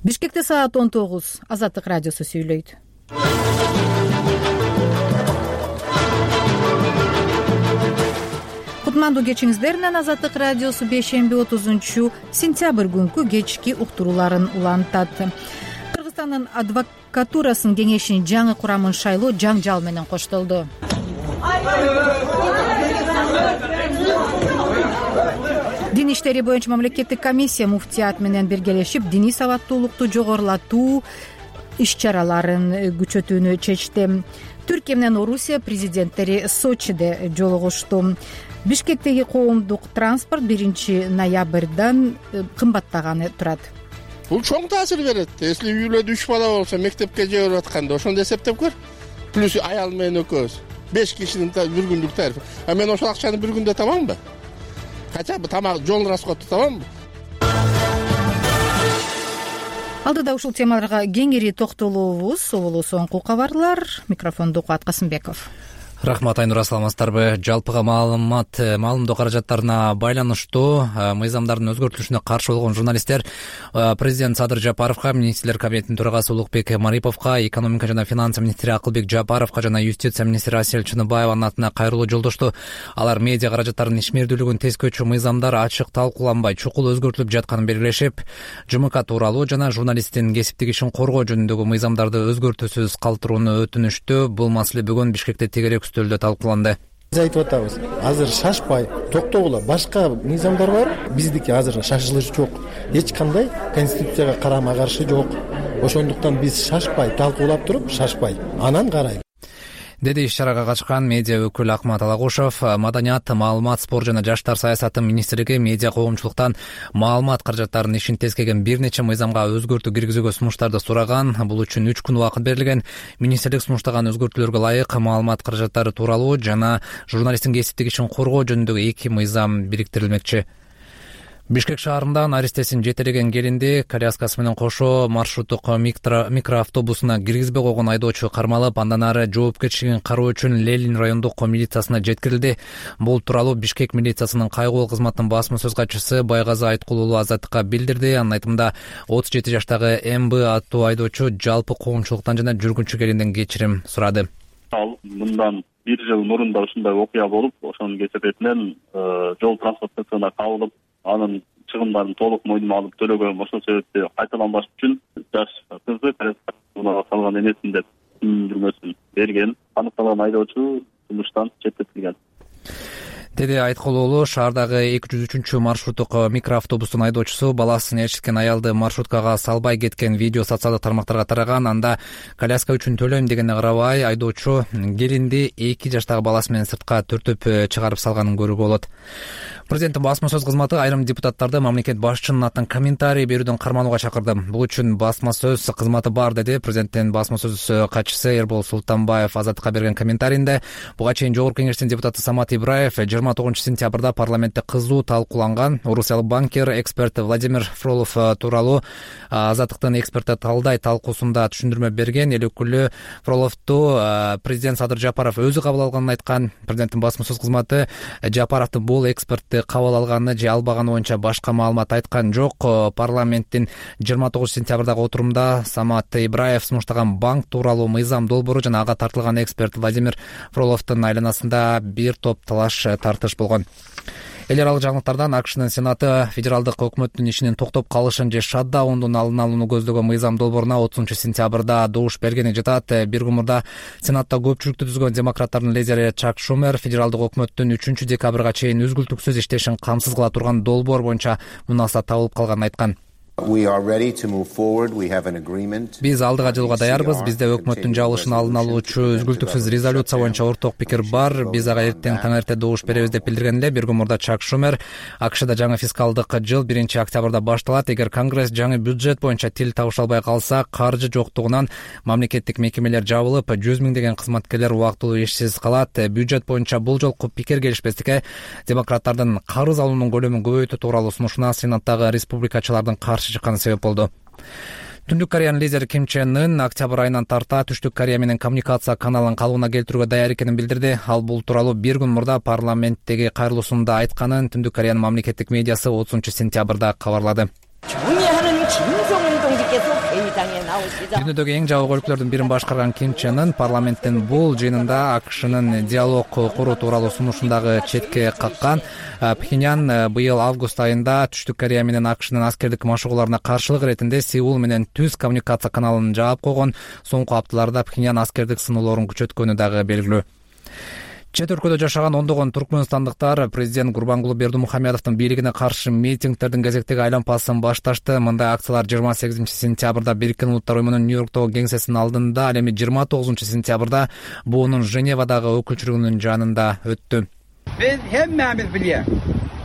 Бишкекте саат 19. Азаттык радиосу сүйлөйт. Кутмандуу кечиңиздер менен Азаттык радиосу бейшемби 30-сентябрь күнкү кечки уктурууларын улантат. Кыргызстандын адвокатурасынын кеңешинин жаңы курамын шайлоо жаңжал менен коштолду. Дин иштери боюнча мамлекеттик комиссия муфтият менен биргелешип диний сабаттуулукту жогорулатуу иш-чараларын күчөтүүнү чечти. Түркия менен Орусия президенттери Сочиде жолугушту. Бишкектеги коомдук транспорт 1-ноябрдан кымбаттаганы турат. Бул чоң таасир берет. Если үйлөдө 3 бала болсо, мектепке жиберип атканда ошондо эсептеп көр. Плюс аял менен экөөбүз 5 кишинин бир күндүк тарифи. А мен ошол акчаны бир күндө табамбы? Хотя бы тамак, жол расходу табамбы? Алдыда ушул темаларга кеңири токтолобуз. Соболу соңку кабарлар. Микрофонду Куат Касымбеков. Рахмат, Айнур, саламатсыздарбы? Жалпыга маалымдоо каражаттарына байланыштуу мыйзамдардын өзгөртүлүшүнө каршы болгон журналисттер президент Садыр Жапаровго, министрлер кабинетинин төрагасы Улукбек Мариповго, экономика жана финансы министри Акылбек Жапаровго жана юстиция министри Асель Чыныбаеванын атына кайрылуу жолдошту. Алар медиа каражаттарынын ишмердүүлүгүн тескөөчү мыйзамдар ачык талкууланбай, чукул өзгөртүлүп жатканын белгилешип, ЖМК тууралуу жана журналисттин кесиптик ишин коргоо жөнүндөгү мыйзамдарды өзгөртүүсүз калтырууну өтүнүштү. Бул маселе бүгүн Бишкекте тегерек үстөлдө талкууланды. Биз айтып атабыз, азыр шашпай токтогула, башка мыйзамдар бар. Биздики азыр шашылыш жок. Эч кандай конституцияга карама каршы жок. Ошондуктан биз шашпай талкуулап туруп, шашпай анан карайлы, деди иш-чарага катышкан медиа өкүлү Акмат Алагушев. Маданият, маалымат, спорт жана жаштар саясаты министрлиги медиа коомчулуктан маалымат каражаттарынын ишин тескеген бир нече мыйзамга өзгөртүү киргизүүгө сунуштарды сураган. Бул үчүн 3 күн убакыт берилген. Министрлик сунуштаган өзгөртүүлөргө ылайык маалымат каражаттары тууралуу жана журналисттин кесиптик ишин коргоо жөнүндөгү 2 мыйзам бириктирилмекчи. Бишкек шаарынан аристесин жетелеген келинди коляскасы менен кошо маршруттук микроавтобусуна киргизбей койгон айдоочу кармалып, андан ары жоопкерчилигин кароо үчүн Ленин райондук милициясына жеткирилди. Бул тууралуу Бишкек милициясынын кайгылуу кызматынын басма сөз катчысы Байгазы Айткулуулу Азаттыкка билдирди. Анын айтымында 37 жаштагы МБ аттуу айдоочу жалпы коомчулуктан жана жүргүнчү келинден кечирим сурады. Ал мындан 1 жыл мурунда ушундай окуя болуп, ошонун кесепетинен жол транспорт инспекциясына кабылып, анын чыгымдарын толук мойнума алып төлөгөм. Ошол себепти кайталанбаш үчүн жаш кызды коляскага салган эмесмин деп түшүндүрмөсүн берген. Аныкталган айдоочу жумуштан четтетилген, деди Айткулуулу. Шаардагы 203 маршруттук микроавтобустун айдоочусу баласын ээрчиткен аялды маршруткага салбай кеткен видео социалдык тармактарга тараган. Анда коляска үчүн төлөйм дегенде карабай айдоочу келинди 2 жаштагы баласы менен сыртка түртүп чыгарып салганын көрүүгө болот. Президенттин басма сөз кызматы айрым депутаттарды мамлекет башчынын атынан комментарий берүүдөн карманууга чакырды. Бул үчүн басма сөз кызматы бар, деди президенттин басма сөз катчысы Эрбол Султанбаев Азаттыкка берген комментарийинде. Буга чейин Жогорку кеңештин депутаты Самат Ибраев 29-сентябрда парламентте кызуу талкууланган Орусиялык банкир, эксперт Владимир Фролов тууралуу Азаттыктын эксперти талдай талкуусунда түшүндүрмө берген. Эл өкүлү Фроловду президент Садыр Жапаров өзү кабыл алганын айткан. Президенттин басма сөз кызматы Жапаровдун бул экспертти кабыл алганы же албаганы боюнча башка маалымат айткан жок. Парламенттин 29-сентябрдагы отурумда Самат Ибраев сунуштаган банк тууралуу мыйзам долбоору жана ага тартылган эксперт Владимир Фроловдун айланасында бир топ талаш тартыш болгон. Эл аралык жаңылыктардан АКШнын Сенаты федералдык өкмөттүн ишинин токтоп калышын же шатдаундун алдын алууну көздөгөн мыйзам долбооруна 30-сентябрда добуш бергени жатат. Бир күн мурда Сенатта көпчүлүктү түзгөн демократтардын лидери Чак Шумер федералдык өкмөттүн 3-декабрга чейин үзгүлтүксүз иштешин камсыз кыла турган долбоор боюнча мунасат табылып калганын айткан. Биз алдыга жылууга даярбыз. Бизде өкмөттүн жабылышын алдын алуучу үзгүлтүксүз резолюция боюнча орток пикир бар. Биз ага эртең таң эрте добуш беребиз деп билдирген эле. Бир күн мурда Чак Шумер АКШда жаңы фискалдык жыл 1-октябрда башталат. Эгер Конгресс жаңы бюджет боюнча тил табыша албай калса, каржы жоктугунан мамлекеттик мекемелер жабылып, 100 миңдеген кызматкерлер убактылуу ишсиз калат. Бюджет боюнча бул жолку пикир келишпестикке демократтардын карыз алуунун көлөмүн көбөйтүү тууралуу сунушуна Сенаттагы республикачылардын каршы чыкканы себеп болду. Түндүк Кореянын лидери Ким Чен Ын октябрь айынан тарта Түштүк Корея менен коммуникация каналын калыбына келтирүүгө даяр экенин билдирди. Ал бул тууралуу бир күн мурда парламенттеги кайрылуусунда айтканын Түндүк Кореянын мамлекеттик медиасы 30-сентябрда кабарлады. 김정은 동지께서 회의장에 나오시자 дүйнөдөгү эң жабык өлкөлөрдүн бирин башкарган Ким Чен Ын парламенттин бул жыйынында АКШнын диалог куруу тууралуу сунушун дагы четке каккан. Пхеньян быйыл август айында Түштүк Корея менен АКШнын аскердик машыгууларына каршылык иретинде Сеул менен түз коммуникация каналын жаап койгон. Соңку апталарда Пхеньян аскердик сыноолорун күчөткөнү дагы белгилүү. Чет өлкөдө жашаган ондогон туркмөнстандыктар президент Гурбангулы Бердимухамедовдун бийлигине каршы митингдердин кезектеги айлампасын башташты. Мындай акциялар 28-сентябрда Бириккен Улуттар уюмунун Нью-Йорктогу кеңсесинин алдында, ал эми 29-сентябрда буунун Женевадагы өкүлчүлүгүнүн жанында өттү. Биз хэммэmiz билебиz.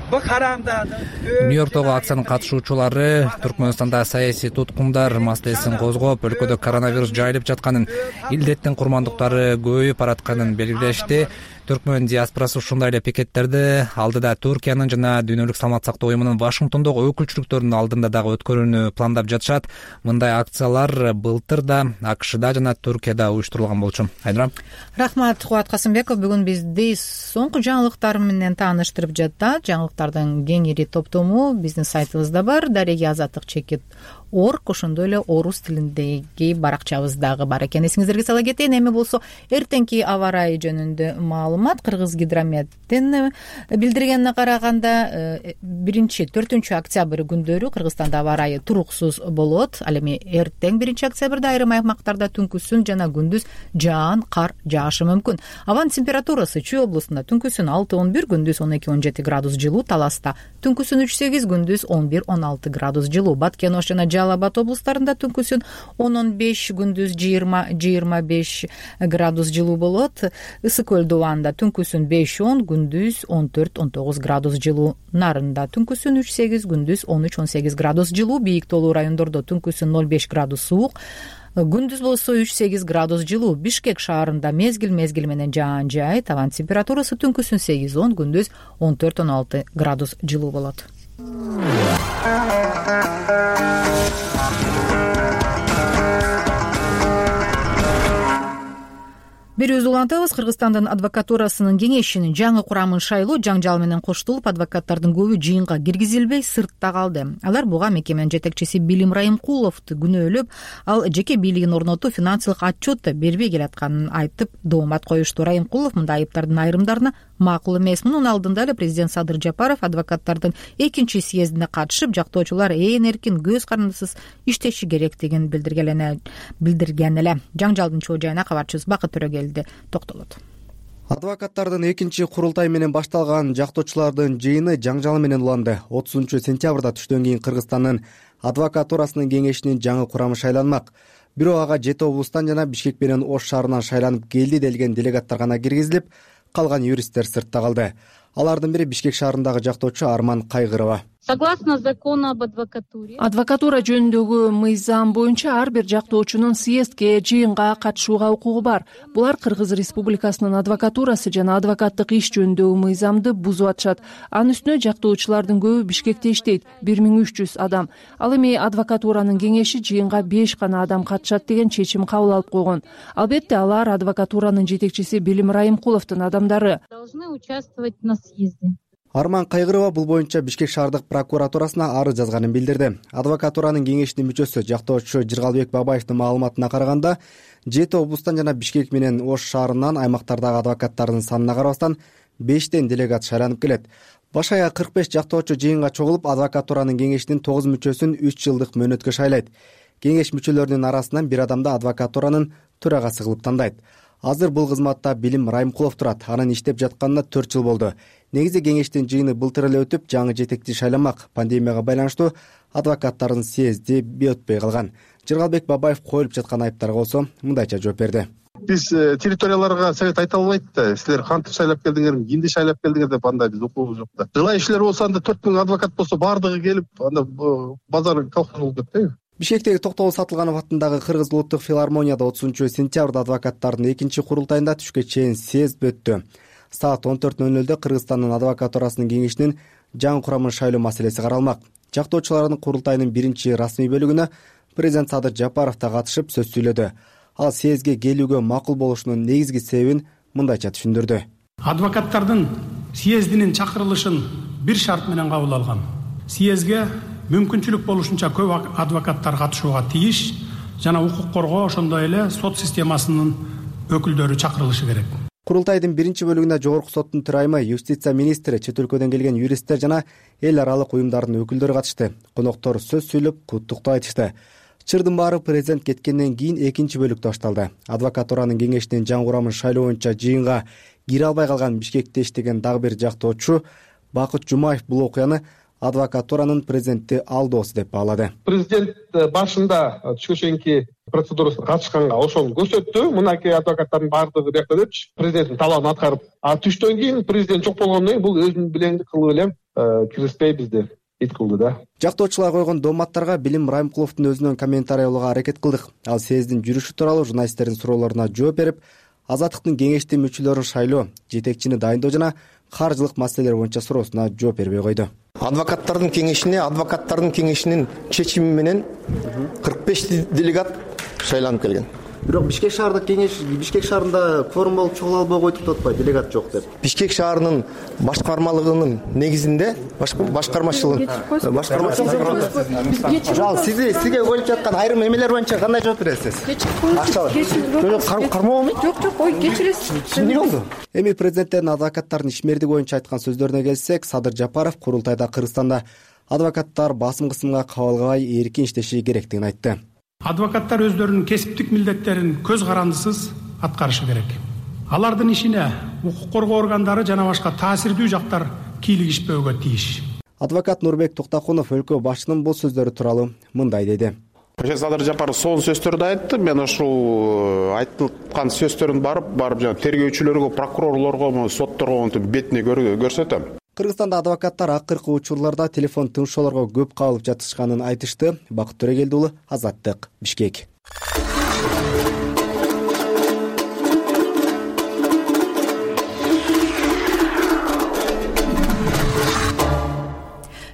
Бу карамдардын Нью-Йорктогу акциянын катышуучулары Түркмөнстанда саясий туткундар маселесин козгоп, өлкөдө коронавирус жайылып жатканын, илдеттин курмандыктары көбөйүп баратканын белгилешти. Түркмөн диаспорасы ушундай эле пикеттерди алдыда Түркиянын жана Дүйнөлүк саламат сактоо уюмунун Вашингтондогу өкүлчүлүктөрүнүн алдында дагы өткөрүүнү пландап жатышат. Мындай акциялар былтыр да АКШда жана Түркияда уюштурулган болчу. Айнура. Рахмат, Кубат Касымбеков. Бүгүн бизди соңку жаңылыктар менен тааныштырып жатат. Жаңылыктардын кеңири топтому биздин сайтыбызда бар. Дареги азаттык чекит орг, ошондой эле орус тилиндеги баракчабыз дагы бар экен. Эсиңиздерге сала кетейин. Эми болсо эртеңки аба ырайы жөнүндө маалымат. Кыргыз гидрометтин билдиргенине караганда 1-4 октябрь күндөрү Кыргызстанда аба ырайы туруксуз болот. Ал эми эртең 1 октябрда айрым аймактарда түнкүсүн жана күндүз жаан, кар жаашы мүмкүн. Абанын температурасы Чүй облусунда түнкүсүн 6-11, күндүз 12-17 градус жылуу, Таласта түнкүсүн 3-8, күндүз 11-16 градус жылуу. Баткен Ош жана Жалал Абад облустарында түнкүсүн 10-15, күндүз 20-25 градус жылуу болот. Ысык көл Дубанда түнкүсүн 5-10, күндүз 14-19 градус жылуу. Нарында түнкүсүн 3-8, күндүз 13-18 градус жылуу. Бийик тоолуу райондордо түнкүсүн 0-5 градус суук, күндүз болсо 3-8 градус жылуу. Бишкек шаарында мезгил менен жаан жай, табан температурасы түнкүсүн 8-10, күндүз 14-16 градус жылуу болот. Берүүбүздү улантабыз. Кыргызстандын адвокатурасынын кеңешинин жаңы курамын шайлоо жаңжал менен коштулуп, адвокаттардын көбү жыйынга киргизилбей сыртта калды. Алар буга мекеменин жетекчиси Билим Райымкуловду күнөөлөп, ал жеке бийлигин орнотуп, финансылык отчет бербей келатканын айтып, доомат коюшту. Райымкулов мындай айыптардын айрымдарына макул эмес. Мунун алдында эле президент Садыр Жапаров адвокаттардын 2-съездине катышып, жактоочулар эркин, көз карандысыз иштеши керектигин билдирген эле. Жаңжалдын чоо жайына кабарчыбыз Бакыт Төрөгелди токтолот. Адвокаттардын 2-курултай менен башталган жактоочулардын жыйыны жаңжал менен уланды. 30-сентябрда түштөн кийин Кыргызстандын адвокатурасынын кеңешинин жаңы курамы шайланмак. Бирок ага Жети облустан жана Бишкек менен Ош шаарынан шайланып келди делген делегаттар гана киргизилип, калган юристтер сыртта калды. Алардын бири Бишкек шаарындагы жактоочу Арман Кайгырова. Согласно закону об адвокатуре, адвокатура жөнүндөгү мыйзам боюнча ар бир жактоочунун съездге, жыйынга катышууга укугу бар. Булар Кыргыз Республикасынын адвокатурасы жана адвокаттык иш жөнүндөгү мыйзамды бузуп атышат. Анын үстүнө жактоочулардын көбү Бишкекте иштейт, 1300 адам. Ал эми адвокатуранын кеңеши жыйынга 5 гана адам катышат деген чечим кабыл алып койгон. Албетте алар адвокатуранын жетекчиси Билим Райымкуловдун адамдары. Должны участвовать на съезде. Арман Кайгырова бул боюнча Бишкек шаардык прокуратурасына арыз жазганын билдирди. Адвокатуранын кеңешинин мүчөсү жактоочу Жыргалбек Бабаевдин маалыматына караганда, Жети облустан жана Бишкек менен Ош шаарынан аймактардагы адвокаттардын санына карабастан 5 делегат шайланып келет. Баш аяк 45 жактоочу жыйынга чогулуп, адвокатуранын кеңешинин 9 мүчөсүн 3 жылдык мөөнөткө шайлайт. Кеңеш мүчөлөрүнүн арасынан бир адамды адвокатуранын төрагасы кылып тандайт. Азыр бул кызматта Билим Райымкулов турат. Анын иштеп жатканына 4 жыл болду. Негизи кеңештин жыйыны былтыр эле өтүп, жаңы жетекчи шайланмак. Пандемияга байланыштуу адвокаттардын съезди өтпөй калган. Жыргалбек Бабаев коюлуп жаткан айыптарга болсо мындайча жооп берди. Биз территорияларга совет айта албайт да. Силер кантип шайлап келдиңер, кимди шайлап келдиңер деп андай биз укугубуз жок да. Жылайчылар болсо анда 4000 адвокат болсо бардыгы келип, анда базар колхоз болуп кетпейби? Бишкектеги Токтогул Сатылганов атындагы Кыргыз улуттук филармонияда 30-сентябрда адвокаттардын 2-курултайында түшкө чейин съезд өттү. Саат 14:00 Кыргызстандын адвокатурасынын кеңешинин жаңы курамын шайлоо маселеси каралмак. Жактоочулардын курултайынын биринчи расмий бөлүгүнө президент Садыр Жапаров да катышып сөз сүйлөдү. Ал съездге келүүгө макул болушунун негизги себебин мындайча түшүндүрдү. Адвокаттардын съездинин чакырылышын бир шарт менен кабыл алган. Съездге мүмкүнчүлүк болушунча көп адвокаттар катышууга тийиш жана укук коргоо ошондой эле сот системасынын өкүлдөрү чакырылышы керек. Курултайдын биринчи бөлүгүнө Жогорку соттун төрайымы, юстиция министри, чет өлкөдөн келген юристтер жана эл аралык уюмдардын өкүлдөрү катышты. Коноктор сөз сүйлөп, куттуктоо айтышты. Чырдын баары президент кеткенден кийин экинчи бөлүктө башталды. Адвокатуранын кеңешинин жаңы курамын шайлоо боюнча жыйынга кире албай калган Бишкекте иштеген дагы бир жактоочу Бакыт Жумаев бул окуяны адвокатуранын президентти алдоосу деп баалады. Президент башында түшкө чейинки процедурасына катышканга ошону көрсөттү. Мынакей адвокаттардын баардыгы биякта депчи президенттин талабын аткарып, түштөн кийин президент жок болгондон кийин бул өзүнүн билеңди кылып эле киргизбей бизди ит кылды да. Жактоочулар койгон доматтарга Билим Райымкуловдун өзүнөн комментарий алууга аракет кылдык. Ал съездин жүрүшү тууралуу журналисттердин суроолоруна жооп берип, Азаттыктын кеңештин мүчөлөрүн шайлоо, жетекчини дайындоо жана каржылык маселелер боюнча суроосуна жооп бербей койду. Адвокаттардын кеңешинин чечими менен 45 делегат шайланып келген. Бирок Бишкек шаардык кеңеш Бишкек шаарында кворум болуп чогула албай койду деп атпайбы, делегат жок деп. Бишкек шаарынын башкармалыгынын негизинде сизге коюлуп жаткан айрым эмелер боюнча кандай жооп бересиз? Кармообу? Жок, ой, кечиресиз. Эмне болду? Эми президенттердин адвокаттардын ишмердиги боюнча айткан сөздөрүнө келсек, Садыр Жапаров курултайда Кыргызстанда адвокаттар басым кысымга кабылбай эркин иштеши керектигин айтты. Адвокаттар өздөрүнүн кесиптик милдеттерин көз карандысыз аткарышы керек. Алардын ишине укук коргоо органдары жана башка таасирдүү жактар кийлигишпөөгө тийиш. Адвокат Нурбек Токтакунов өлкө башчынын бул сөздөрү тууралуу мындай деди. Садыр Жапаров сонун сөздөрдү айтты. Мен ушул айтылган сөздөрдүн барып жана тергөөчүлөргө, прокурорлорго, сотторго бетине көрсөтөм. Кыргызстанда адвокаттар акыркы учурларда телефон тыншоолорго көп кабылып жатышканын айтышты. Бакыт Төрөгелди уулу, Азаттык, Бишкек.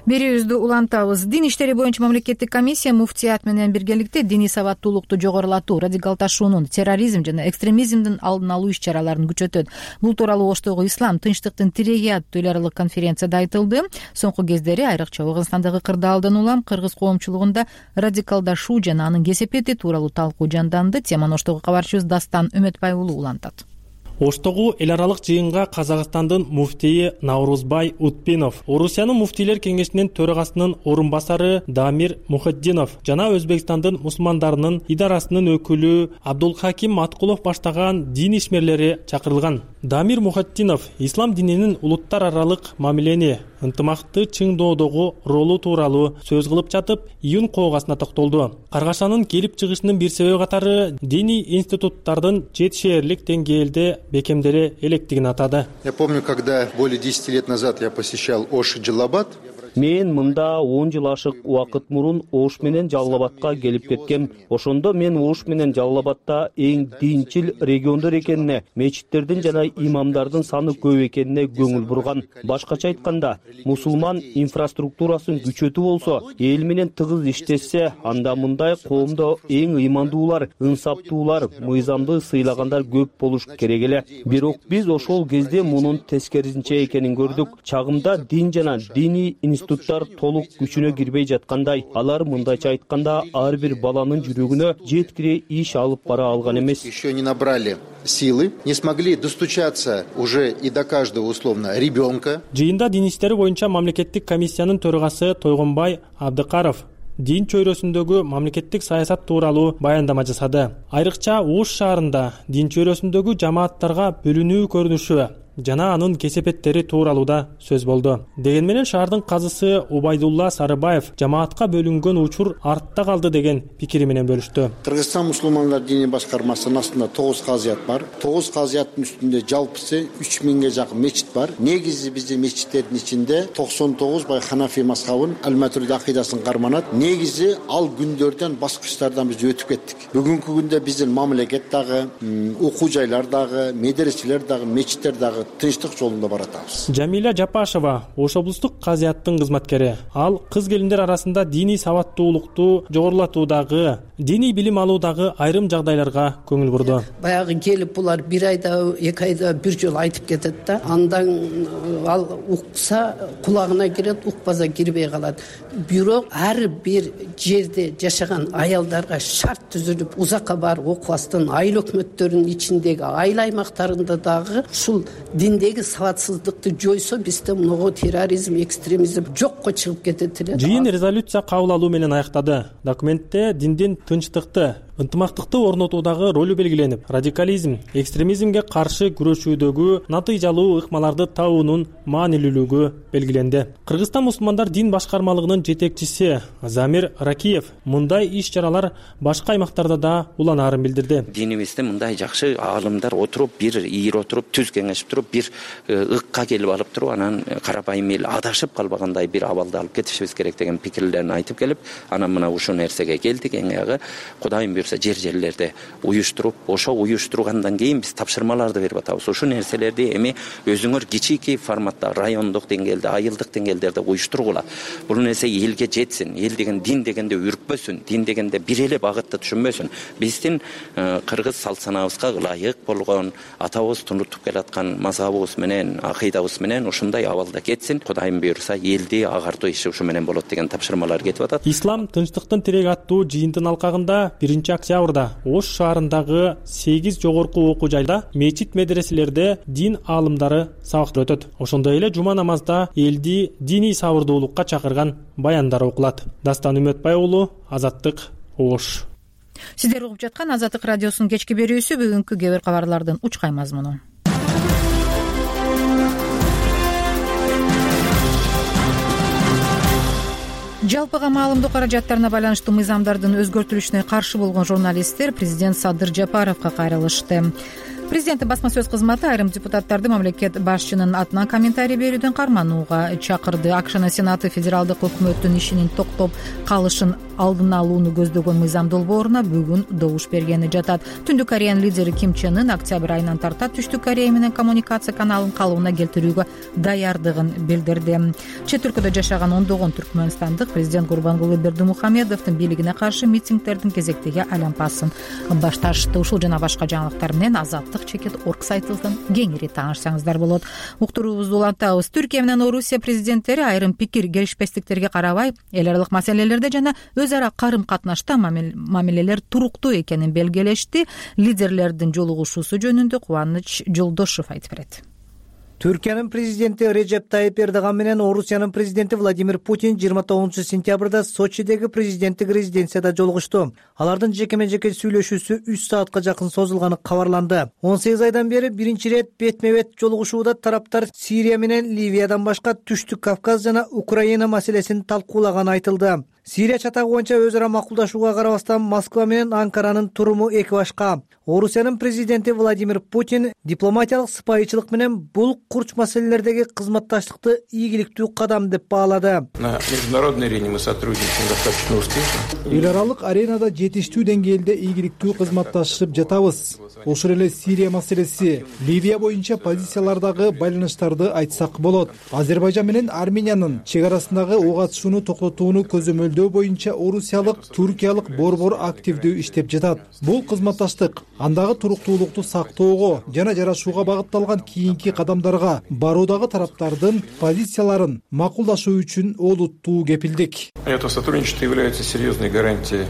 Берүүбүздү улантабыз. Дин иштери боюнча мамлекеттик комиссия муфтият менен биргеликте диний сабаттуулукту жогорулатуу, радикалдашуунун, терроризм жана экстремизмдин алдын алуу иш-чараларын күчөтөт. Бул тууралуу Оштогу ислам, тынчтыктын тиреги аттуу эл аралык конференцияда айтылды. Соңку кездери айрыкча Ооганстандагы кырдаалдан улам кыргыз коомчулугунда радикалдашуу жана анын кесепети тууралуу талкуу жанданды. Теманы Оштогу кабарчыбыз Дастан Үмөтбай уулу улантат. Оштогу эл аралык жыйынга Казакстандын муфтийи Наурузбай Утпинов, Орусиянын муфтийлер кеңешинин төрагасынын орун басары Дамир Мухаддинов жана Өзбекстандын мусулмандарынын идарасынын өкүлү Абдулхаким Маткулов баштаган дин ишмерлери чакырылган. Дамир Мухаддинов ислам дининин улуттар аралык мамилени, ынтымакты чыңдоодогу ролу тууралуу сөз кылып жатып, июнь коогасына токтолду. Каргашанын келип чыгышынын бир себеби катары диний институттардын жетишээрлик деңгээлде бекемдери электигин атады. Я помню, когда более 10 лет назад я посещал Ош Джалабад. Мен мында 10 жыл ашык убакыт мурун Ош менен Жалалабадка келип кеткем. Ошондо мен Ош менен Жалалабадта эң динчил региондор экенине, мечиттердин жана имамдардын саны көп экенине көңүл бурган. Башкача айтканда, мусулман инфраструктурасын күчөтүү болсо, эл менен тыгыз иштешсе, анда мындай коомдо эң ыймандуулар, ынсаптуулар, мыйзамды сыйлагандар көп болуш керек эле. Бирок биз ошол кезде мунун тескерисинче экенин көрдүк. Чагымда дин жана диний институттар толук күчүнө кирбей жаткандай, алар мындайча айтканда ар бир баланын жүрөгүнө жеткире иш алып бара алган эмес. Еще не набрали силы, не смогли достучаться уже и до каждого условно ребенка. Жыйында дин иштери боюнча мамлекеттик комиссиянын төрагасы Тойгонбай Абдыкаров дин чөйрөсүндөгү мамлекеттик саясат тууралуу баяндама жасады. Айрыкча Ош шаарында дин чөйрөсүндөгү жамааттарга бөлүнүү көрүнүшү жана анын кесепеттери тууралууда сөз болду. Деген менен шаардын казысы Убайдулла Сарыбаев жамаатка бөлүнгөн учур артта калды деген пикири менен бөлүштү. Кыргызстан мусулмандар диний башкармасынын астында 9 казыят бар. 9 казыяттын үстүндө жалпысы 3000ге жакын мечит бар. Негизи биздин мечиттердин ичинде 99 бай Ханафи мазхабын, Аль-Матуриди акыйдасын карманат. Негизи ал күндөрдөн баскычтардан биз өтүп кеттик. Бүгүнкү күндө биздин мамлекет дагы, окуу жайлар дагы, медреселер дагы, мечиттер дагы тынчтык жолунда баратабыз. Жамиля Жапашева Ош облустук казыяттын кызматкери. Ал кыз келиндер арасында диний сабаттуулукту жогорулатуудагы, диний билим алуудагы айрым жагдайларга көңүл бурду. Баягы келип булар 1 айда 2 айда бир жолу айтып кетет да. Андан ал укса кулагына кирет, укпаса кирбей калат. Бирок ар бир жерде жашаган аялдарга шарт түзүлүп, узакка барып окубастан айыл өкмөттөрүнүн ичиндеги айыл аймактарында дагы ушул диндеги сабатсыздыкты жойсо, бизде мынго терроризм, экстремизм жокко чыгып кетет эле. Жыйын резолюция кабыл алуу менен аяктады. Документте диндин тынчтыкты, ынтымактыкты орнотуудагы ролу белгиленип, радикализм, экстремизмге каршы күрөшүүдөгү натыйжалуу ыкмаларды табуунун маанилүүлүгү белгиленди. Кыргызстан мусулмандар дин башкармалыгынын жетекчиси Замир Ракиев мындай иш-чаралар башка аймактарда да уланаарын билдирди. Динибизде мындай жакшы аалымдар отуруп, бир ийир отуруп, түз кеңешип туруп, бир ыкка келип алып туруп, анан карапайым эл адашып калбагандай бир абалды алып кетишибиз керек деген пикирлерин айтып келип, анан мына ушул нерсеге келдик. Эң аягы Кудайым буйрса жер-жерлерде уюштуруп, ошо уюштургандан кийин биз тапшырмаларды берип атабыз. Ушул нерселерди эми өзүңөр кичики форматта, райондук деңгээлде, айылдык деңгээлдерде уюштургула. Бул нерсе элге жетсин. Эл деген дин дегенде үркпөсүн, дин дегенде бир эле багытты түшүнбөсүн. Биздин кыргыз салт санаабызга ылайык болгон, атабыз тунутуп келаткан мазабыбыз менен, акыйдабыз менен ушундай абалда кетсин. Кудайым буйрса элди агартуу иши ушу менен болот деген тапшырмалар кетип атат. Ислам тынчтыктын тиреги аттуу жыйынтын алкагында 1-октябрда Ош шаарындагы 8 жогорку окуу жайда, мечит медреселерде дин аалымдары сабак өтөт. Ошондой эле жума намазда элди диний сабырдуулукка чакырган баяндар окулат. Дастан Үмөтбай уулу, Азаттык, Ош. Сиздер угуп жаткан Азаттык радиосунун кечки берүүсү бүгүнкү кээ бир кабарлардын учкай мазмуну. Жалпыга маалымдоо каражаттарына байланыштуу мыйзамдардын өзгөртүлүшүнө каршы болгон журналисттер президент Садыр Жапаровго кайрылышты. Президенттин басма сөз кызматы айрым депутаттарды мамлекет башчынын атынан комментарий берүүдөн карманууга чакырды. АКШнын Сенаты федералдык өкмөттүн ишинин токтоп калышын алдын алууну көздөгөн мыйзам долбооруна бүгүн добуш бергени жатат. Түндүк Кореянын лидери Ким Чен Ын октябрь айынан тарта Түштүк Корея менен коммуникация каналын калыбына келтирүүгө даярдыгын билдирди. Чет өлкөдө жашаган ондогон түркмөнстандык президент Гурбангулы Бердимухамедовдун бийлигине каршы митингдердин кезектеги айланпасын башташты. Ушул жана башка жаңылыктар менен Азаттык.org сайтыбыздан кеңири таанышсаңыздар болот. Уктуруубузду улантабыз. Түркия менен Орусия президенттери айрым пикир келишпестиктерге карабай, эл аралык маселелерде жана өз ара карым-катнашта мамилелер туруктуу экенин белгилешти. Лидерлердин жолугушуусу жөнүндө Кубаныч Жолдошов айтып берет. Түркиянын президенти Режеп Тайип Эрдоган менен Орусиянын президенти Владимир Путин 29-сентябрда Сочидеги президенттик резиденцияда жолугушту. Алардын жекеме-жеке сүйлөшүүсү 3 саатка жакын созулганы кабарланды. 18 айдан бери биринчи ирет бетме-бет жолугушууда тараптар Сирия менен Ливиядан башка Түштүк Кавказ жана Украина маселесин талкуулаганы айтылды. Сирия чатагы боюнча өз ара макулдашууга карабастан Москва менен Анкаранын туруму эки башка. Орусиянын президенти Владимир Путин дипломатиялык сыпайычылык менен бул курч маселелердеги кызматташтыкты ийгиликтүү кадам деп баалады. На международной арене мы сотрудничаем достаточно успешно. Эл аралык аренада жетиштүү деңгээлде ийгиликтүү кызматташып жатабыз. Ошол эле Сирия маселеси, Ливия боюнча позициялардагы байланыштарды айтсак болот. Азербайжан менен Армениянын чек арасындагы ок атышууну токтотууну көзөмөлдөө боюнча орусиялык, туркиялык борбор активдүү иштеп жатат. Бул кызматташтык андагы туруктуулукту сактоого жана жарашууга багытталган кийинки кадамдарга баруудагы тараптардын позицияларын макулдашуу үчүн олуттуу кепилдик. Это сотрудничество является серьезной гарантией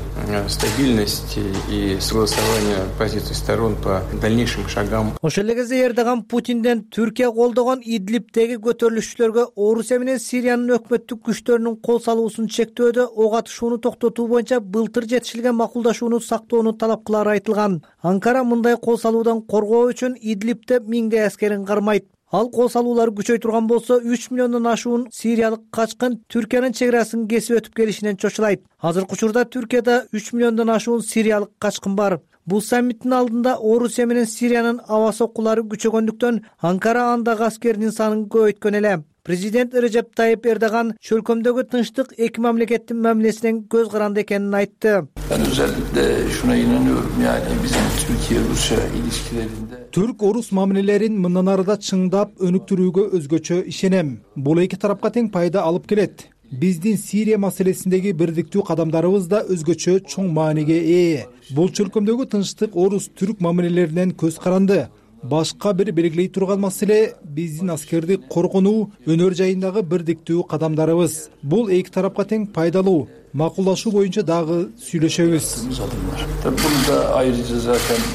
стабильности и согласования позиций сторон по дальнейшим шагам. Ошол эле кезде Эрдоган Путинден Түркия колдогон Идлибтеги көтөрүлүшчүлөргө Орусия менен Сириянын өкмөттүк күчтөрүнүн кол салуусун чектөөдө ок атышууну токтотуу боюнча былтыр жетишилген макулдашууну сактоону талап кылары айтылган. Анкара мындай кол салуудан коргоо үчүн Идлибте 1000 аскерин кармайт. Ал кол салуулар күчөй турган болсо 3 миллиондон ашуун сириялык качкын Түркиянын чек арасын кесип өтүп келишинен чочулайт. Азыркы учурда Түркияда 3 миллиондон ашуун сириялык качкын бар. Бул саммиттин алдында Орусия менен Сириянын аба соккулары күчөгөндүктөн Анкара андагы аскердин санын көбөйткөн эле. Президент Режеп Тайип Эрдоган чөлкөмдөгү тынчтык эки мамлекеттин мамилесинен көз каранды экенин айтты. Ben özellikle şuna inanıyorum, yani bizim Türkiye-Rusya ilişkilerinde Türk-Orus мамилелерин мындан арыда чыңдап өнүктүрүүгө өзгөчө ишенем. Бул эки тарапка тең пайда алып келет. Биздин Сирия маселесиндеги бирдиктүү кадамдарыбыз да өзгөчө чоң мааниге ээ. Бул чөлкөмдөгү тынчтык орус-түрк мамилелеринен көз каранды. Башка бир белгилей турган маселе биздин аскерди коргонуу, өнөр жайындагы бирдиктүү кадамдарыбыз. Бул эки тарапка тең пайдалуу. Макулдашуу боюнча дагы сүйлөшөбүз. Tabii burada ayrıca zaten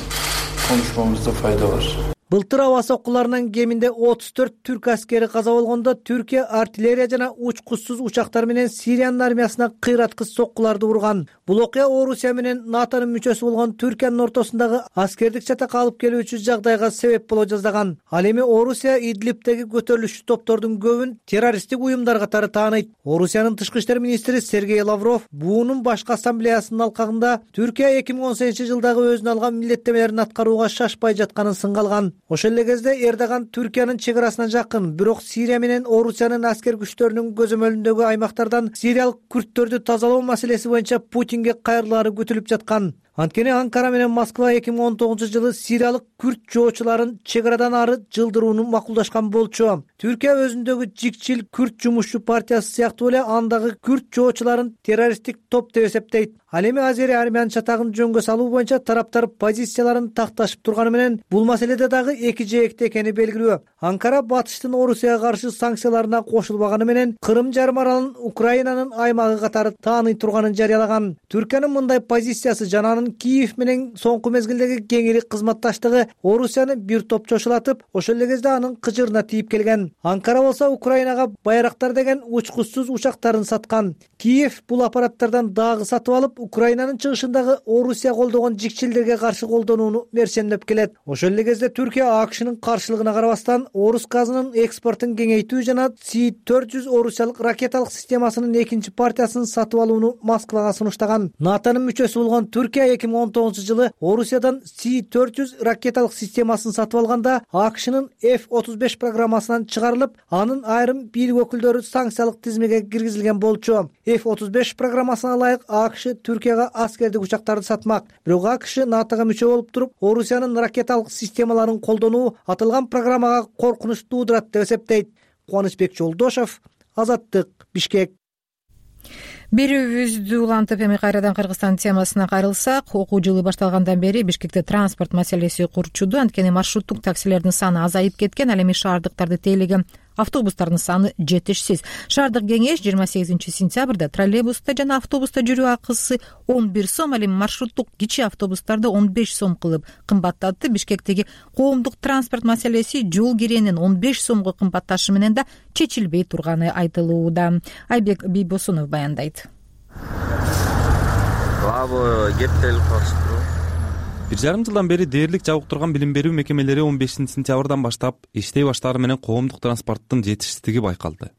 konuşmamızda fayda var. Былтыр аба соккуларынан кеминде 34 түрк аскери каза болгондо Түркия артиллерия жана учкучсуз учактар менен Сириянын армиясына кыйраткыч соккуларды урган. Бул окуя Орусия менен НАТОнун мүчөсү болгон Түркиянын ортосундагы аскердик чатак алып келүүчү жагдайга себеп боло жаздаган. Ал эми Орусия Идлибтеги көтөрүлүшчү топтордун көбүн террористтик уюмдар катары тааныйт. Орусиянын тышкы иштер министри Сергей Лавров буунун башкы ассамблеясынын алкагында Түркия 2018-жылдагы өзүнө алган милдеттемелерин аткарууга шашпай жатканын сынга алган. Ошол эле кезде Эрдоган Түркиянын чек арасына жакын, бирок Сирия менен Орусиянын аскер күчтөрүнүн көзөмөлүндөгү аймактардан сириялык күрттөрдү тазалоо маселеси боюнча Путинге кайрылаары күтүлүп жаткан. Анткени Анкара менен Москва 2019-жылы сириялык күрт жоочуларын чек арадан ары жылдырууну макулдашкан болчу. Түркия өзүндөгү жикчил күрт жумушчу партиясы сыяктуу эле андагы күрт жоочуларын террористтик топ деп эсептейт. Ал эми азери армиянын чатагын жөнгө салуу боюнча тараптар позицияларын такташып турганы менен бул маселеде дагы эки жээкте экени белгилүү. Анкара батыштын Орусияга каршы санкцияларына кошулбаганы менен Кырым жарым аралын Украинанын аймагы катары тааный турганын жарыялаган. Түркиянын мындай позициясы жана анын Киев менен соңку мезгилдеги кеңири кызматташтыгы Орусияны бир топ чочулатып, ошол эле кезде анын кыжырына тийип келген. Анкара болсо Украинага Байрактар деген учкучсуз учактарын саткан. Киев бул аппараттардан дагы сатып алып, Украинанын чыгышындагы Орусия колдогон жикчилдерге каршы колдонууну мерчемдеп келет. Ошол эле кезде Түркия АКШнын каршылыгына карабастан Орус газынын экспортун кеңейтүү жана С-400 орусиялык ракеталык системасынын экинчи партиясын сатып алууну Москвага сунуштаган. НАТОнун мүчөсү болгон Түркия 2019-жылы Орусиядан С-400 ракеталык системасын сатып алганда АКШнын F-35 программасынан чыгарылып, анын айрым бийлик өкүлдөрү санкциялык тизмеге киргизилген болчу. F-35 программасына ылайык АКШ Түркияга аскердик учактарды сатмак. Бирок АКШ НАТОга мүчө болуп туруп, Орусиянын ракеталык системаларын колдонуу аталган программага коркунуч туудурат деп эсептейт. Кубанычбек Жолдошов, Азаттык, Бишкек. Берүүбүздү улантып эми кайрадан Кыргызстан темасына кайрылсак, окуу жылы башталгандан бери Бишкекте транспорт маселеси курчуду. Анткени маршруттук таксилердин саны азайып кеткен, ал эми шаардыктарды тейлеген автобустардын саны жетишсиз. Шаардык кеңеш 28-сентябрда троллейбуста жана автобуста жүрүү акысы 11 сом, ал эми маршруттук кичи автобустарды 15 сом кылып кымбаттатты. Бишкектеги коомдук транспорт маселеси жол киренин 15 сомго кымбатташы менен да чечилбей турганы айтылууда. Айбек Бийбосунов баяндайт. Бир жарым жылдан бери дээрлик жабыктырган билим берүү мекемелери 15-сентябрдан баштап иштей баштаары менен коомдук транспорттун жетишсиздиги байкалды.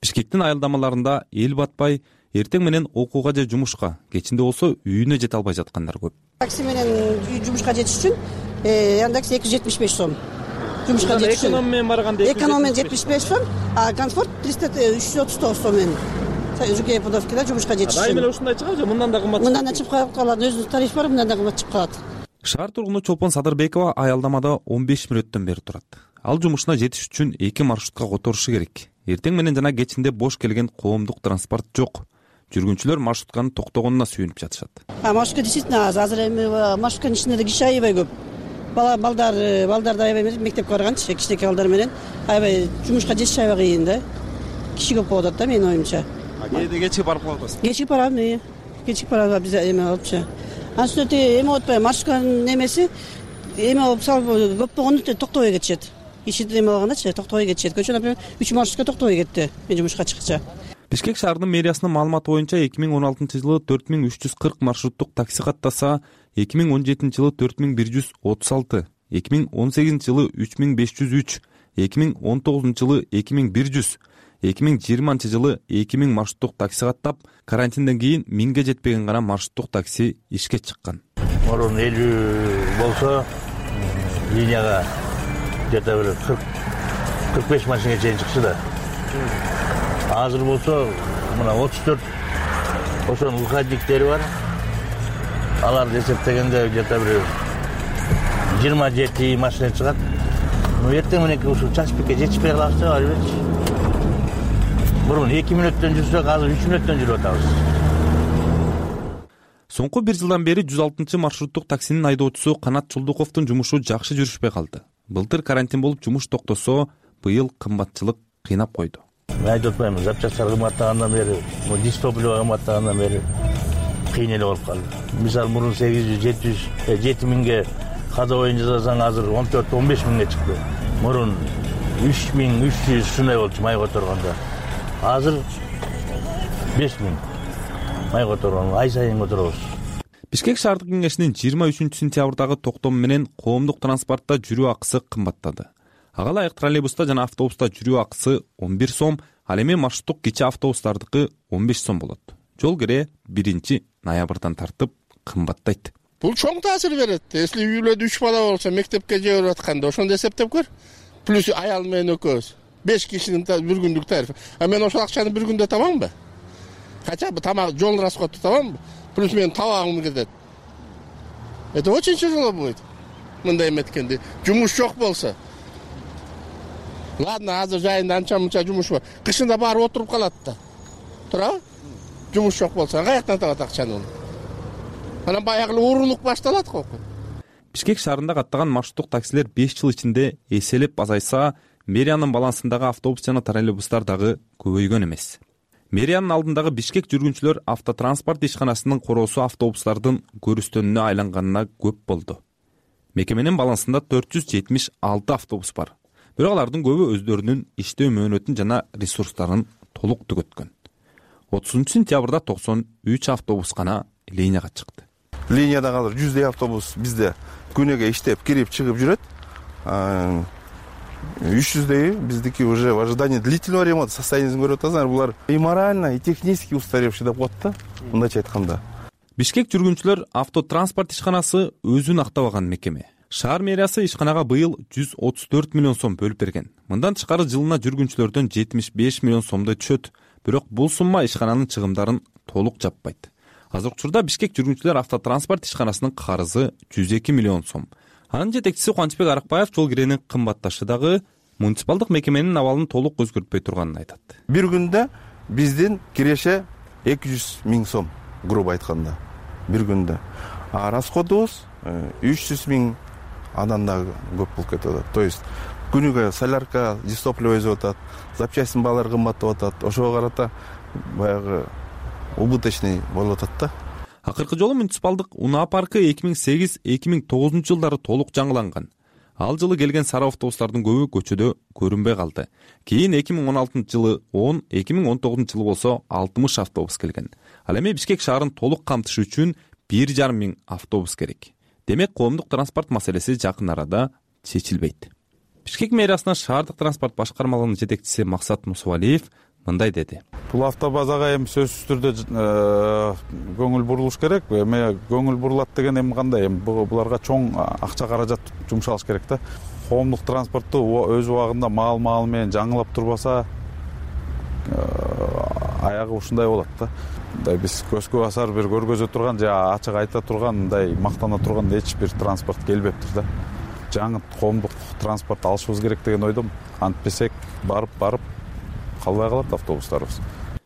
Бишкектин аялдамаларында эл батпай, эртең менен окууга же жумушка, кечинде болсо үйүнө жете албай жаткандар көп. Такси менен жумушка жетиш үчүн яндекс 275 сом. Жумушка жетиш үчүн эконом менен барганда эконом менен 75 сом, а комфорт 339 сом менен. Жүке подовкада жумушка жетиш үчүн. Айым эле ушундай чыгат же, мындан да кымбат. Мындан да чыгып калат, өзүнүн тарифи бар, мындан да кымбат чыгып калат. Шаар тургуну Чолпон Садырбекова аялдамада 15 мүнөттөн бери турат. Ал жумушуна жетиш үчүн 2 маршрутка которушу керек. Эртең менен жана кечинде бош келген коомдук транспорт жок. Жүргүнчүлөр маршрутканын токтогонуна сүйүнүп жатышат. Маршрутка действительно аз. Азыр эми маршрутканын ичинде киши аябай көп. Балдар да аябай мектепке барганчы, кичинекей балдар менен аябай жумушка жетиш аябай кыйын да. Киши көп болуп атат да менин оюмча. Кээде кечип барып калып атасыз? Кечип барам, кечип барам биз эме алыпчы. Анын эме болуп атпайбы, маршрутканын немеси эме болуп салып көп болгондо токтобой кетишет. Иши эме болгондочу токтобой кетишет. Көчө, например, 3 маршрутка токтобой кетти мен жумушка чыккыча. Бишкек шаарынын мэриясынын маалыматы боюнча 2016-жылы 4340 маршруттук такси каттаса, 2017-жылы 4136, 2018-жылы 3503, 2019-жылы 2100, 2020-жылы 2000 маршруттук такси каттап, карантинден кийин 1000ге жетпеген гана маршруттук такси ишке чыккан. Мурун 50 болсо, линияга где-то 40-45 машина чейин чыкчу да. азыр болсо мына 34 ошонун выходниктери бар. Аларды эсептегенде где-то бир 27 машина чыгат. Эртең мененки ушул чачпекке жетишпей калабыз, албетте. Бурун 2 мүнөттөн жүрсөк, азыр 3 мүнөттөн жүрүп атабыз. Соңку 1 жылдан бери 106 маршруттук таксинин айдоочусу Канат Чулдуковдун жумушу жакшы жүрүшпөй калды. Былтыр карантин болуп жумуш токтосо, быйыл кымбатчылык кыйнап койду. Мен айтып атпаймынбы, запчасттар кымбаттагандан бери, дистопливо кымбаттагандан бери кыйын эле болуп калды. Мисалы мурун 7 миңге ходовойн жасасаң, азыр 14-15 миңге чыкты. Мурун 3300 ушундай болчу май которгондо. Азыр 5 миң май которгон, ай сайын которобуз. Бишкек шаардык кеңешинин 23 сентябрдагы токтому менен коомдук транспортто жүрүү акысы кымбаттады. Ага ылайык троллейбуста жана автобуста жүрүү акысы 11 сом, ал эми маршруттук кичи автобустардыкы 15 сом болот. Жол кире 1 ноябрдан тартып кымбаттайт. Бул чоң таасир берет. Если үйлөдө 3 бала болсо, мектепке жиберип атканда ошондо эсептеп көр. Плюс аял менен экөөбүз 5 кишинин бир күндүк тарифи. А мен ошол акчаны бир күндө табамбы? Хотя бы тамак, жол расходу табамбы? Плюс менин табагым кетет. Это очень тяжело будет. Мындай эметкенде жумуш жок болсо. Ладно, азыр жайында анча-мынча жумуш бар. Кышында барып отуруп калат да. Туурабы? Жумуш жок болсо, каяктан табат акчаны? Анан баягы уурулук башталат го. Бишкек шаарында каттаган маршруттук таксилер 5 жыл ичинде эселеп азайса, мэриянын балансындагы автобус жана троллейбустар дагы көбөйгөн эмес. Мэриянын алдындагы Бишкек жүргүнчүлөр автотранспорт ишканасынын короосу автобустардын көрүстөнүнө айланганына көп болду. Мекеменин балансында 476 автобус бар. Бирок алардын көбү өздөрүнүн иштөө мөөнөтүн жана ресурстарын толук түгөткөн. 30 сентябрда 93 автобус гана линияга чыкты. Линияда азыр 100 автобус бизде күнүгө иштеп, кирип, чыгып жүрөт. 300 биздики уже в ожидании длительного ремонта состояниесин көрүп атасыңар. Булар и морально, и технически устаревший деп коет да, мындайча айтканда. Бишкек жүргүнчүлөр автотранспорт ишканасы өзүн актабаган мекеме. Шаар мэриясы ишканага быйыл 134 миллион сом бөлүп берген. Мындан тышкары жылына жүргүнчүлөрдөн 75 миллион сомдой түшөт. Бирок бул сумма ишкананын чыгымдарын толук жаппайт. Азыркы учурда Бишкек жүргүнчүлөр автотранспорт ишканасынын карызы 102 миллион сом. Анын жетекчиси Кубанычбек Аракбаев жол киренин кымбатташы дагы муниципалдык мекеменин абалын толук өзгөртпөй турганын айтат. Бир күндө биздин киреше 200 миң сом, грубо айтканда, бир күндө. А расходубуз 300 миң, андан да көп болуп кетип атат. То есть күнүгө солярка, дистопливо өзүп атат, запчастин баалары кымбаттап атат. Ошого карата баягы убыточный болуп атат да. Акыркы жолу муниципалдык унаа паркы 2008-2009 жылдары толук жаңыланган. Ал жылы келген сары автобустардын көбү көчөдө көрүнбөй калды. Кийин 2016 жылы 10, 2019 жылы болсо 60 автобус келген. Ал эми Бишкек шаарын толук камтыш үчүн 1,5 миң автобус керек. Демек, коомдук транспорт маселеси жакын арада чечилбейт. Бишкек мэриясынын шаардык транспорт башкармалыгынын жетекчиси Максат Мусубалиев мындай деди. Бул автобазага эми сөзсүз түрдө көңүл бурулуш керек. Эми көңүл бурулат деген эми кандай? Эми буларга чоң акча каражат жумшалыш керек да. Коомдук транспортту өз убагында маал менен жаңылап турбаса, аягы ушундай болот да. Мындай биз көзгө басар бир көргөзө турган же ачык айта турган, мындай мактана турган эч бир транспорт келбептир да. Жаңы коомдук транспорт алышыбыз керек деген ойдом. Антпесек барып калбай калат автобустарыбыз.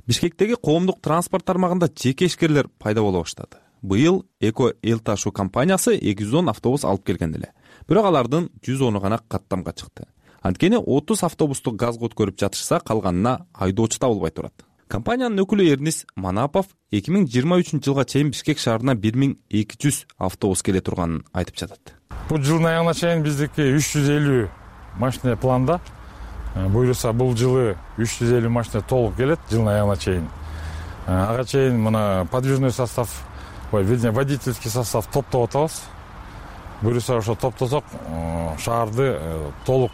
Бишкектеги коомдук транспорт тармагында жеке ишкерлер пайда боло баштады. Быйыл Эко Эл Ташуу компаниясы 210 автобус алып келген эле. Бирок алардын 110 гана каттамга чыкты. Анткени 30 автобусту газга өткөрүп жатышса, калганына айдоочу табылбай турат. Компаниянын өкүлү Эрнис Манапов 2023 жылга чейин Бишкек шаарына 1200 автобус келе турганын айтып жатат. Бул жылдын аягына чейин биздики 350 машина планда. Буюрса бул жылы 350 машина толук келет жылдын аягына чейин. Ага чейин мына подвижной состав, водительский состав топтоп атабыз. Буюрса ошо топтосок шаарды толук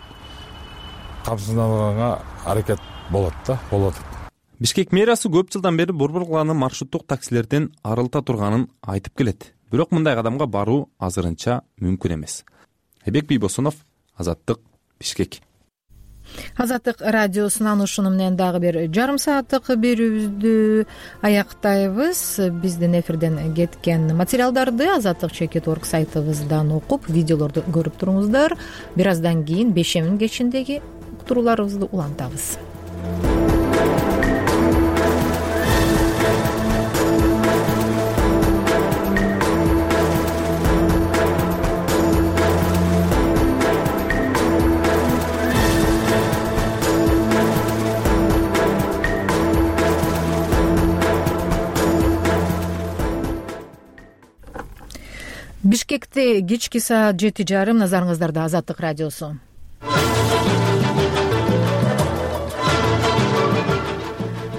камсызданганга аракет болот да, болот. Бишкек мэриясы көп жылдан бери Борбор кыланы маршруттук таксилерден арылта турганын айтып келет. Бирок мындай кадамга баруу азырынча мүмкүн эмес. Айбек Бийбосунов, Азаттык, Бишкек. Азаттык радиосунан ушуну менен дагы бир жарым сааттык берүүбүздү аяктайбыз. Биздин эфирден кеткен материалдарды azatlyk.org сайтыбыздан окуп, видеолорду көрүп туруңуздар. Бир аздан кийин бешемин кечиндеги уктурууларыбызды улантабыз. Бишкекте кечки саат 7:30. Назарыңыздарда Азаттык радиосу.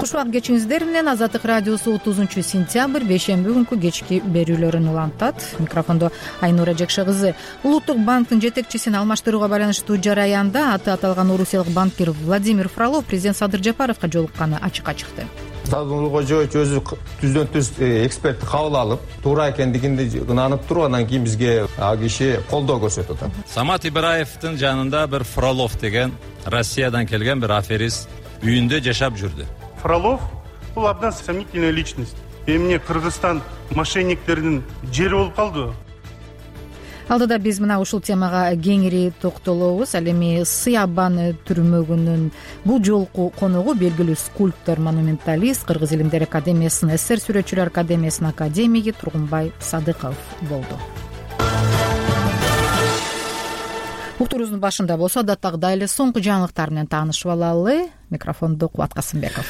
Куш убак кечиңиздер менен Азаттык радиосу 30-сентябрь бейшемби күнкү кечки берүүлөрүн улантат. Микрофондо Айнура Жекше кызы. Улуттук банктын жетекчисин алмаштырууга байланыштуу жараянда аты аталган орусиялык банкир Владимир Фролов президент Садыр Жапаровго жолукканы ачыкка чыкты. Садыр Кожоевич өзү түздөн түз экспертти кабыл алып, туура экендигинди ынанып туруп, андан кийин бизге ал киши колдоо көрсөтүп атат. Самат Ибраевдин жанында бир Фролов деген Россиядан келген бир аферист үйүндө жашап жүрдү. Фролов бул абдан сомнительная личность. Эмне Кыргызстан мошенниктеринин жери болуп калды. Алдыда биз мына ушул темага кеңири токтолобуз. Ал эми Сыябан түрмөгүнүн бул жолку коногу белгилүү скульптор, монументалист, Кыргыз илимдер академиясынын СССР сүрөтчүлөр академиясынын академиги Тургунбай Садыков болду. Уктуруубуздун башында болсо адаттагыдай эле соңку жаңылыктар менен таанышып алалы. Микрофонду Кубат Касымбеков.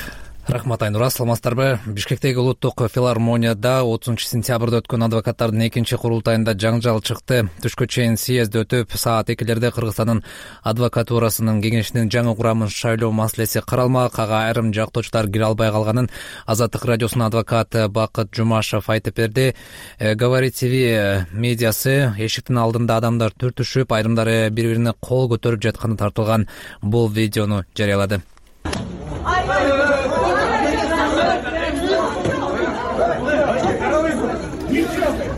Рахмат, Айнура, саламатсыздарбы? Бишкектеги улуттук филармонияда 30-сентябрда өткөн адвокаттардын экинчи курултайында жаңжал чыкты. Түшкө чейин съезд өтүп, саат 2:00 Кыргызстандын адвокатурасынын кеңешинин жаңы курамын шайлоо маселеси каралмак. Ага айрым жактоочулар кире албай калганын Азаттык радиосунун адвокаты Бакыт Жумашев айтып берди. Говорит ТВ медиасы эшиктин алдында адамдар түртүшүп, айрымдары бири-бирине кол көтөрүп жатканы тартылган бул видеону жарыялады.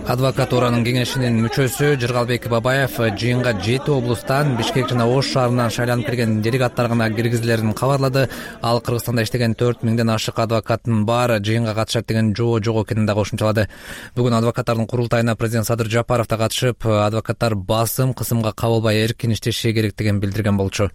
Адвокатуранын кеңешинин мүчөсү Жыргалбек Бабаев жыйынга 7 облустан, Бишкек жана Ош шаарынан шайланып келген делегаттар гана киргизилерин кабарлады. Ал Кыргызстанда иштеген 4000ден ашык адвокаттын баары жыйынга катышат деген жоо жок экенин да кошумчалады. Бүгүн адвокаттардын курултайына президент Садыр Жапаров да катышып, адвокаттар кысымга кабылбай эркин иштеши керектигин билдирген болчу.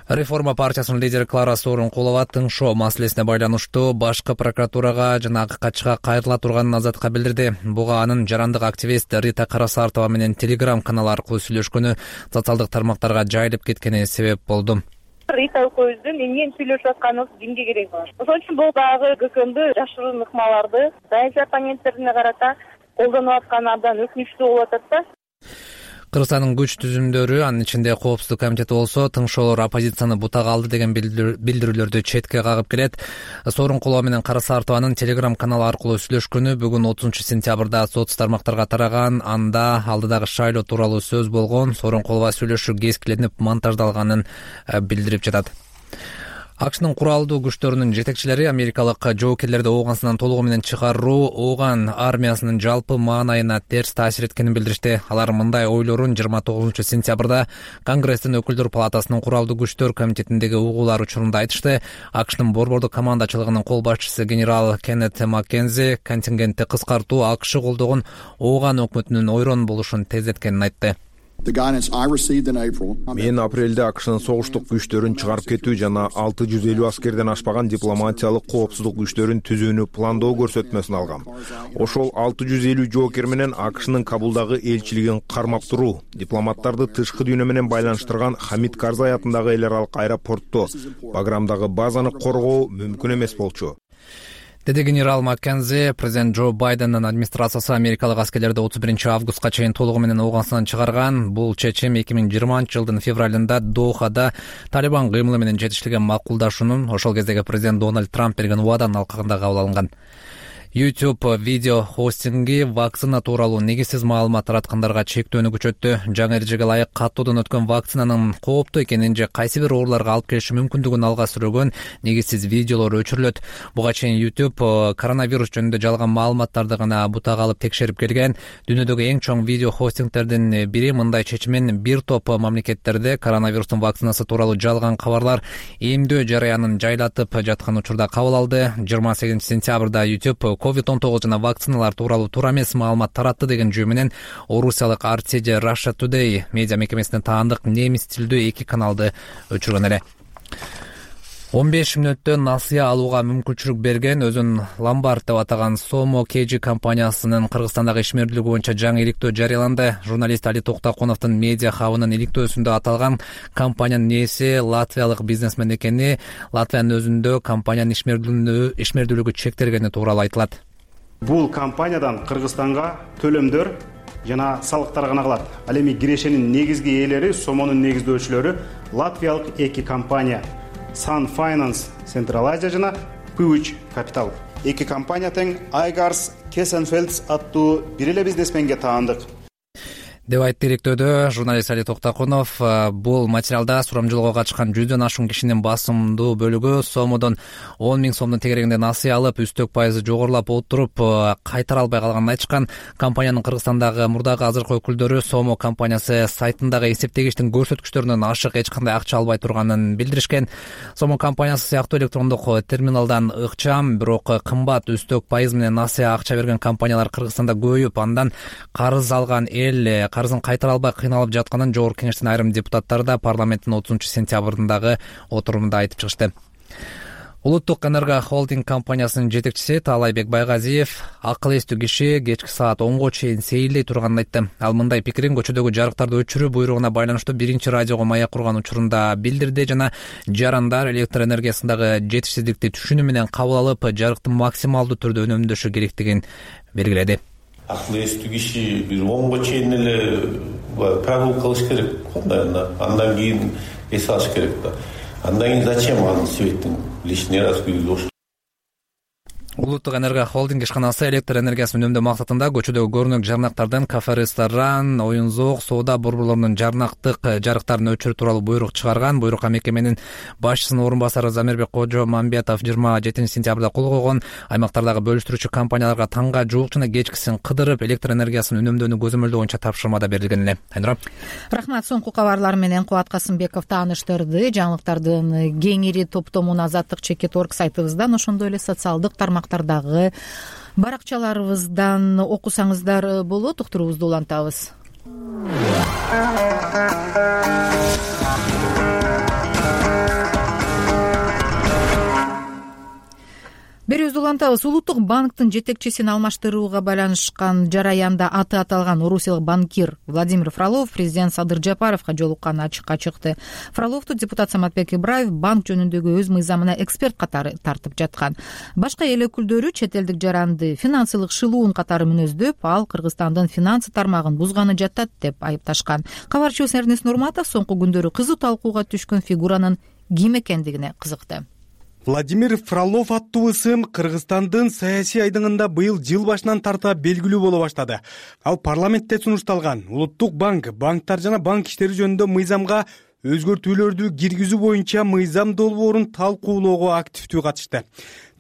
Реформа партиясынын лидери Клара Сооронкулова тыңшоо маселесине байланыштуу башкы прокуратурага жана АККЧга кайрыла турганын Азатка билдирди. Буга анын жарандык активист Рита Карасартова менен Telegram каналы аркылуу сүйлөшкөнү социалдык тармактарга жайылып кеткени себеп болду. Рита экөөбүздүн эмнени сүйлөшүп атканыбыз кимге керек? Ошон үчүн бул дагы ГКМды жашыруун ыкмаларды саясий оппоненттерине карата колдонуп атканы абдан өкүнүчтүү болуп атат да. Кыргызстандын күч түзүмдөрү, анын ичинде Коопсуздук комитети болсо, тыңшоолор оппозицияны бутак алды деген билдирүүлөрдү четке кагып келет. Сооронкулова менен Карасартованын Telegram каналы аркылуу сүйлөшкөнү бүгүн 30-сентябрда соц тармактарга тараган. Анда алдыдагы шайлоо тууралуу сөз болгон. Сооронкулова сүйлөшүү кескиленип монтаждалганын билдирип жатат. АКШнын куралдуу күчтөрүнүн жетекчилери америкалык жоокерлерди Ооганстандан толугу менен чыгаруу Ооган армиясынын жалпы маанайына терс таасир эткенин билдиришти. Алар мындай ойлорун 29-сентябрда Конгресстин өкүлдөр палатасынын куралдуу күчтөр комитетиндеги угуулар учурунда айтышты. АКШнын борбордук командачылыгынын кол башчысы генерал Кеннет Маккензи контингентти кыскартуу АКШ колдогон Ооган өкмөтүнүн ойрон болушун тездеткенин айтты. Мен апрелде АКШнын согуштук күчтөрүн чыгарып кетүү жана 650 аскерден ашпаган дипломатиялык коопсуздук күчтөрүн түзүүнү пландоо көрсөтмөсүн алгам. Ошол 650 жоокер менен АКШнын Кабулдагы элчилигин кармап туруу, дипломаттарды тышкы дүйнө менен байланыштырган Хамид Карзай атындагы эл аралык аэропортто Баграмдагы базаны коргоо мүмкүн эмес болчу. Деди генерал Маккензи. Президент Джо Байдендин администрациясы америкалык аскерлерди 31 августка чейин толугу менен Ооганстандан чыгарган. Бул чечим 2020-жылдын февралында Дохада Талибан кыймылы менен жетишилген макулдашуунун ошол кездеги президент Дональд Трамп берген убаданын алкагында кабыл алынган. YouTube видео хостинги вакцина тууралуу негизсиз маалымат тараткандарга чектөөнү күчөттү. Жаңы эрежеге ылайык каттоодон өткөн вакцинанын кооптуу экенин же кайсы бир ооруларга алып келиши мүмкүндүгүн алга сүрөгөн негизсиз видеолор өчүрүлөт. Буга чейин YouTube коронавирус жөнүндө жалган маалыматтарды гана бутага алып текшерип келген. Дүйнөдөгү эң чоң видео хостингтердин бири мындай чечимин бир топ мамлекеттерде коронавирустун вакцинасы тууралуу жалган кабарлар эмдөө жараянын жайлатып жаткан учурда кабыл алды. 28 сентябрда YouTube COVID-19 жана вакциналар тууралуу туура эмес маалымат таратты деген жөө менен орусиялык RT Russia Today медиа мекемесине таандык немис тилдүү 2 каналды өчүргөн эле. 15 мүнөттө насыя алууга мүмкүнчүлүк берген өзүн Ломбард деп атаган Somo KG компаниясынын Кыргызстандагы ишмердүүлүгү боюнча жаңы иликтөө жарыяланды. Журналист Али Токтокуновдун медиа хабынын иликтөөсүндө аталган компаниянын ээси латвиялык бизнесмен экени, Латвиянын өзүндө компаниянын ишмердүүлүгү чектелгени тууралуу айтылат. Бул компаниядан Кыргызстанга төлөмдөр жана салыктар гана калат. Ал эми кирешенин негизги ээлери, Сомонун негиздөөчүлөрү латвиялык 2 компания Sun Finance Central Asia жана Puch Capital. 2 компания тең Айгарс Кесенфелдс аттуу бир эле бизнесменге таандык. Деп айтты иликтөөдө журналист Али Токтокунов. Бул материалда сурамжылоого катышкан 100дөн ашуун кишинин басымдуу бөлүгү Сомодон 10 000 сомдун тегерегинде насыя алып, үстөк пайызы жогорулап отуруп кайтара албай калганын айтышкан. Компаниянын Кыргызстандагы мурдагы азыркы өкүлдөрү Сомо компаниясы сайтындагы эсептегичтин көрсөткүчтөрүнөн ашык эч кандай акча албай турганын билдиришкен. Сомо компаниясы сыяктуу электрондук терминалдан ыкчам, бирок кымбат үстөк пайыз менен насыя акча берген компаниялар Кыргызстанда көбөйүп, андан карыз алган эл карызын кайтара албай кыйналып жатканын жогорку кеңештин айрым депутаттары да парламенттин 30 сентябрындагы отурумунда айтып чыгышты. Улуттук энерго холдинг компаниясынын жетекчиси Таалайбек Байгазиев акыл эстүү киши кечки саат 10го чейин сейилдей турганын айтты. Ал мындай пикирин көчөдөгү жарыктарды өчүрүү буйругуна байланыштуу биринчи радиого маяк курган учурунда билдирди жана жарандар электр энергиясындагы жетишсиздикти түшүнүү менен кабыл алып, жарыкты максималдуу түрдө үнөмдөшү керектигин белгиледи. Акыл эстүү киши бир 10го чейин эле прогулка кылыш керек. Андан кийин эс алыш керек да. Андан кийин зачем анын светтин лишний раз күйлөш. Улуттук энерго холдинг ишканасы электр энергиясын үнөмдөө максатында көчөдөгү көрүнөк жарнактардан кафе, ресторан, оюн зоок, соода борборлорунун жарнактык жарыктарын өчүрүү тууралуу буйрук чыгарган. Буйрукка мекеменин башчысынын орун басары Замирбек Кожо Мамбетов 27 сентябрда кол койгон. Аймактардагы бөлүштүрүүчү компанияларга таңга жуук жана кечкисин кыдырып электр энергиясын үнөмдөөнү көзөмөлдөө боюнча тапшырмада берилген эле. Айнура. Рахмат. Соңку кабарлар менен Кубат Касымбеков тааныштырды. Жаңылыктардын кеңири топтомун Азаттык Чекит.org сайтыбыздан, ошондой эле социалдык тармактардагы баракчаларыбыздан окусаңыздар болот. Уктуруубузду улантабыз. Берүүбүздү улантабыз. Улуттук банктын жетекчисин алмаштырууга байланышкан жараянда аты аталган орусиялык банкир Владимир Фролов президент Садыр Жапаровго жолукканы ачыкка чыкты. Фроловду депутат Саматбек Ибраев банк жөнүндөгү өз мыйзамына эксперт катары тартып жаткан. Башка эл өкүлдөрү чет элдик жаранды финансылык шылуун катары мүнөздөп, ал Кыргызстандын финансы тармагын бузганы жатат деп айыпташкан. Кабарчыбыз Эрнест Нурматов соңку күндөрү кызуу талкууга түшкөн фигуранын ким экендигине кызыкты. Владимир Фролов аттуу ысым Кыргызстандын саясий айдыңында быйыл жыл башынан тарта белгилүү боло баштады. Ал парламентте сунушталган Улуттук банктар жана банк иштери жөнүндө мыйзамга өзгөртүүлөрдү киргизүү боюнча мыйзам долбоорун талкуулоого активдүү катышты.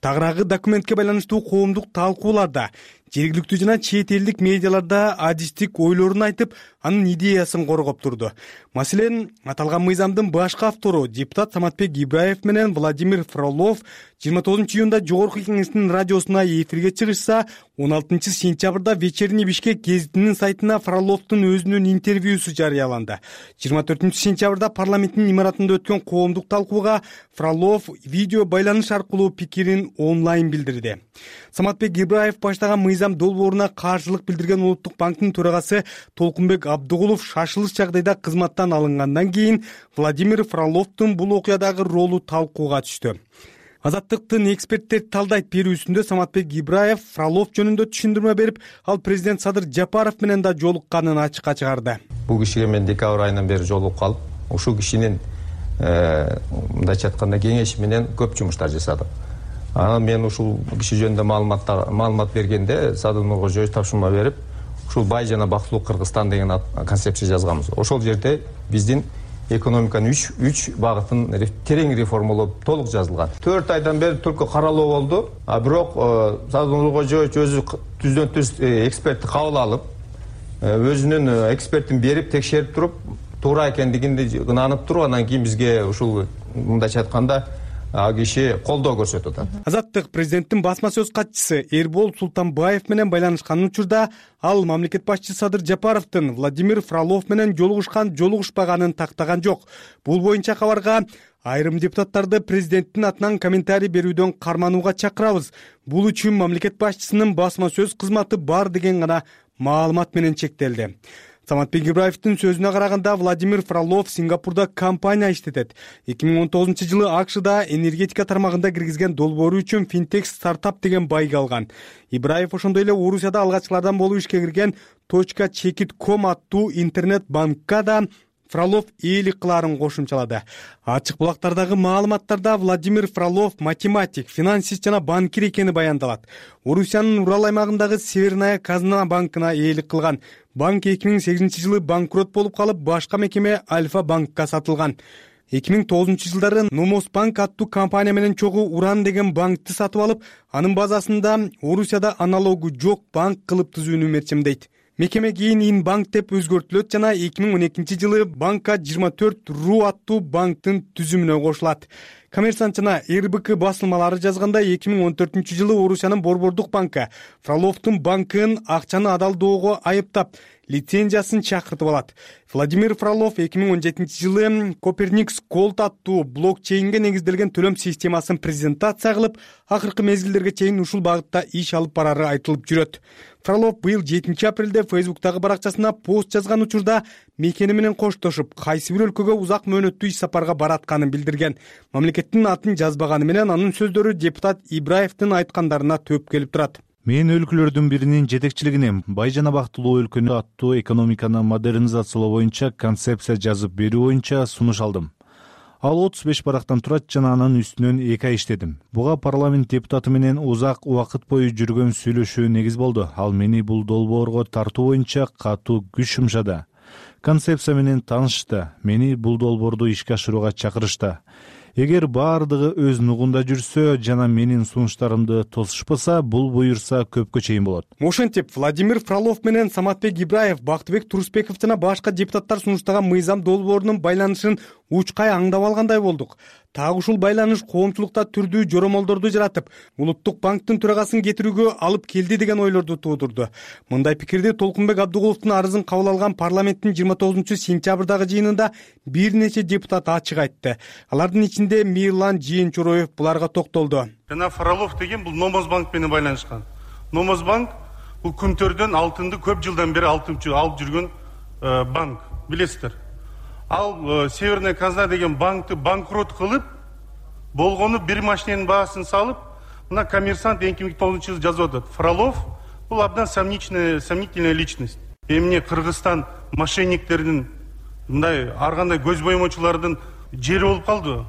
Тагыраагы документке байланыштуу коомдук талкууларда жергиликтүү жана чет элдик медиаларда адистик ойлорун айтып, анын идеясын коргоп турду. Маселен, аталган мыйзамдын башкы автору депутат Саматбек Ибраев менен Владимир Фролов 29 июнда жогорку кеңештин радиосуна эфирге чыгышса, 16 сентябрда Вечерний Бишкек гезитинин сайтына Фроловдун өзүнүн интервьюсу жарыяланды. 24 сентябрда парламенттин имаратында өткөн коомдук талкууга Фролов видео байланыш аркылуу пикирин онлайн билдирди. Саматбек Ибраев баштаган мыйзам долбооруна каршылык билдирген Улуттук банктын төрагасы Толкунбек Абдыгулов шашылыш жагдайда кызматтан алынгандан кийин Владимир Фроловдун бул окуядагы ролу талкууга түштү. Азаттыктын эксперттер талдайт берүүсүндө Саматбек Ибраев Фролов жөнүндө түшүндүрмө берип, ал президент Садыр Жапаров менен да жолукканын ачыкка чыгарды. Бул кишиге мен декабрь айынан бери жолугуп калып, ушул кишинин мындайча айтканда кеңеши менен көп жумуштар жасадым. Анан мен ушул киши жөнүндө маалымат бергенде Садыр Нуркожоевич тапшырма берип, ушул бай жана бактылуу Кыргызстан деген концепция жазганбыз. Ошол жерде биздин экономиканын 3 багытын терең реформалоо толук жазылган. 4 айдан бери түркү каралуу болду. Бирок Садыр Нуркожоевич өзү түздөн түз экспертти кабыл алып, өзүнүн экспертин берип текшерип туруп, туура экендигинди ынанып туруп, анан кийин бизге ушул мындайча айтканда киши колдоо көрсөтүп атат. Азаттык президенттин басма сөз катчысы Эрбол Султанбаев менен байланышкан учурда ал мамлекет башчысы Садыр Жапаровдун Владимир Фролов менен жолугушпаганын тактаган жок. Бул боюнча кабарга айрым депутаттарды президенттин атынан комментарий берүүдөн карманууга чакырабыз. Бул үчүн мамлекет башчысынын басма сөз кызматы бар деген гана маалымат менен чектелди. Саматбек Ибраевдин сөзүнө караганда Владимир Фролов Сингапурда компания иштетет. 2019-жылы АКШда энергетика тармагында киргизген долбоору үчүн финтек стартап деген байга алган. Ибраев ошондой эле Орусияда алгачкылардан болуп ишке кирген .chekit.com аттуу интернет банкка да Фролов ээлик кылаарын кошумчалады. Ачык булактардагы маалыматтарда Владимир Фролов математик, финансист жана банкир экени баяндалат. Орусиянын Урал аймагындагы Северная казна банкына ээлик кылган. Банк 2008-жылы банкрот болуп калып, башка мекеме Альфа банкка сатылган. 2009-жылдары Номос банк аттуу компания менен чогуу Уран деген банкты сатып алып, анын базасында Орусияда аналогу жок банк кылып түзүүнү мерчемдейт. Мекеме кийин Инбанк деп өзгөртүлөт жана 2012-жылы банкка 24 ру аттуу банктын түзүмүнө кошулат. Коммерсант жана РБК басылмалары жазганда 2014-жылы Орусиянын Борбордук банкы Фроловдун банкын акчаны адалдоого айыптап, лицензиясын чакыртып алат. Владимир Фролов 2017-жылы Коперникс Gold аттуу блокчейнге негизделген төлөм системасын презентация кылып, акыркы мезгилдерге чейин ушул багытта иш алып барары айтылып жүрөт. Фролов быйыл 7-апрелде Фейсбуктагы баракчасына пост жазган учурда мекени менен коштошуп, кайсы бир өлкөгө узак мөөнөттүү иш сапарга баратканын билдирген. Мамлекеттин атын жазбаганы менен анын сөздөрү депутат Ибраевдин айткандарына төп келип турат. Мен өлкөлөрдүн биринин жетекчилигине бай жана бактылуу өлкөнү аттуу экономиканы модернизациялоо боюнча концепция жазып берүү боюнча сунуш алдым. Ал 35 барактан турат жана анын үстүнөн 2 ай иштедим. Буга парламент депутаты менен узак убакыт бою жүргөн сүйлөшүү негиз болду. Ал мени бул долбоорго тартуу боюнча катуу күч жумшады. Концепция менен таанышты. Мени бул долбоорду ишке ашырууга чакырышты. Эгер баардыгы өз нугунда жүрсө жана менин сунуштарымды тосушпаса, бул буюрса көпкө чейин болот. Ошентип, Владимир Фролов менен Саматбек Ибраев, Бактыбек Турусбеков жана башка депутаттар сунуштаган мыйзам долбоорунун байланышын учкай аңдап алгандай болдук. Так ушул байланыш коомчулукта түрдүү жоромолдорду жаратып, Улуттук банктын төрагасын кетирүүгө алып келди деген ойлорду туудурду. Мындай пикирди Толкунбек Абдыгуловдун арызын кабыл алган парламенттин 29-сентябрдагы жыйынында бир нече депутат ачык айтты. Алардын ичинде Мирлан Жээнчуроев буларга токтолду. Жана Фролов деген бул Номос банк менен байланышкан. Номос банк бул күнтөрдөн алтынды көп жылдан бери алып жүргөн банк, билесиздер. Ал Северная казна деген банкты банкрот кылып, болгону бир машиненин баасын салып, мына коммерсант 2009-жылы жазып атат. Фролов бул абдан сомнительная личность. Эмне Кыргызстан мошенниктердин, мындай ар кандай көз боемочулардын жери болуп калды.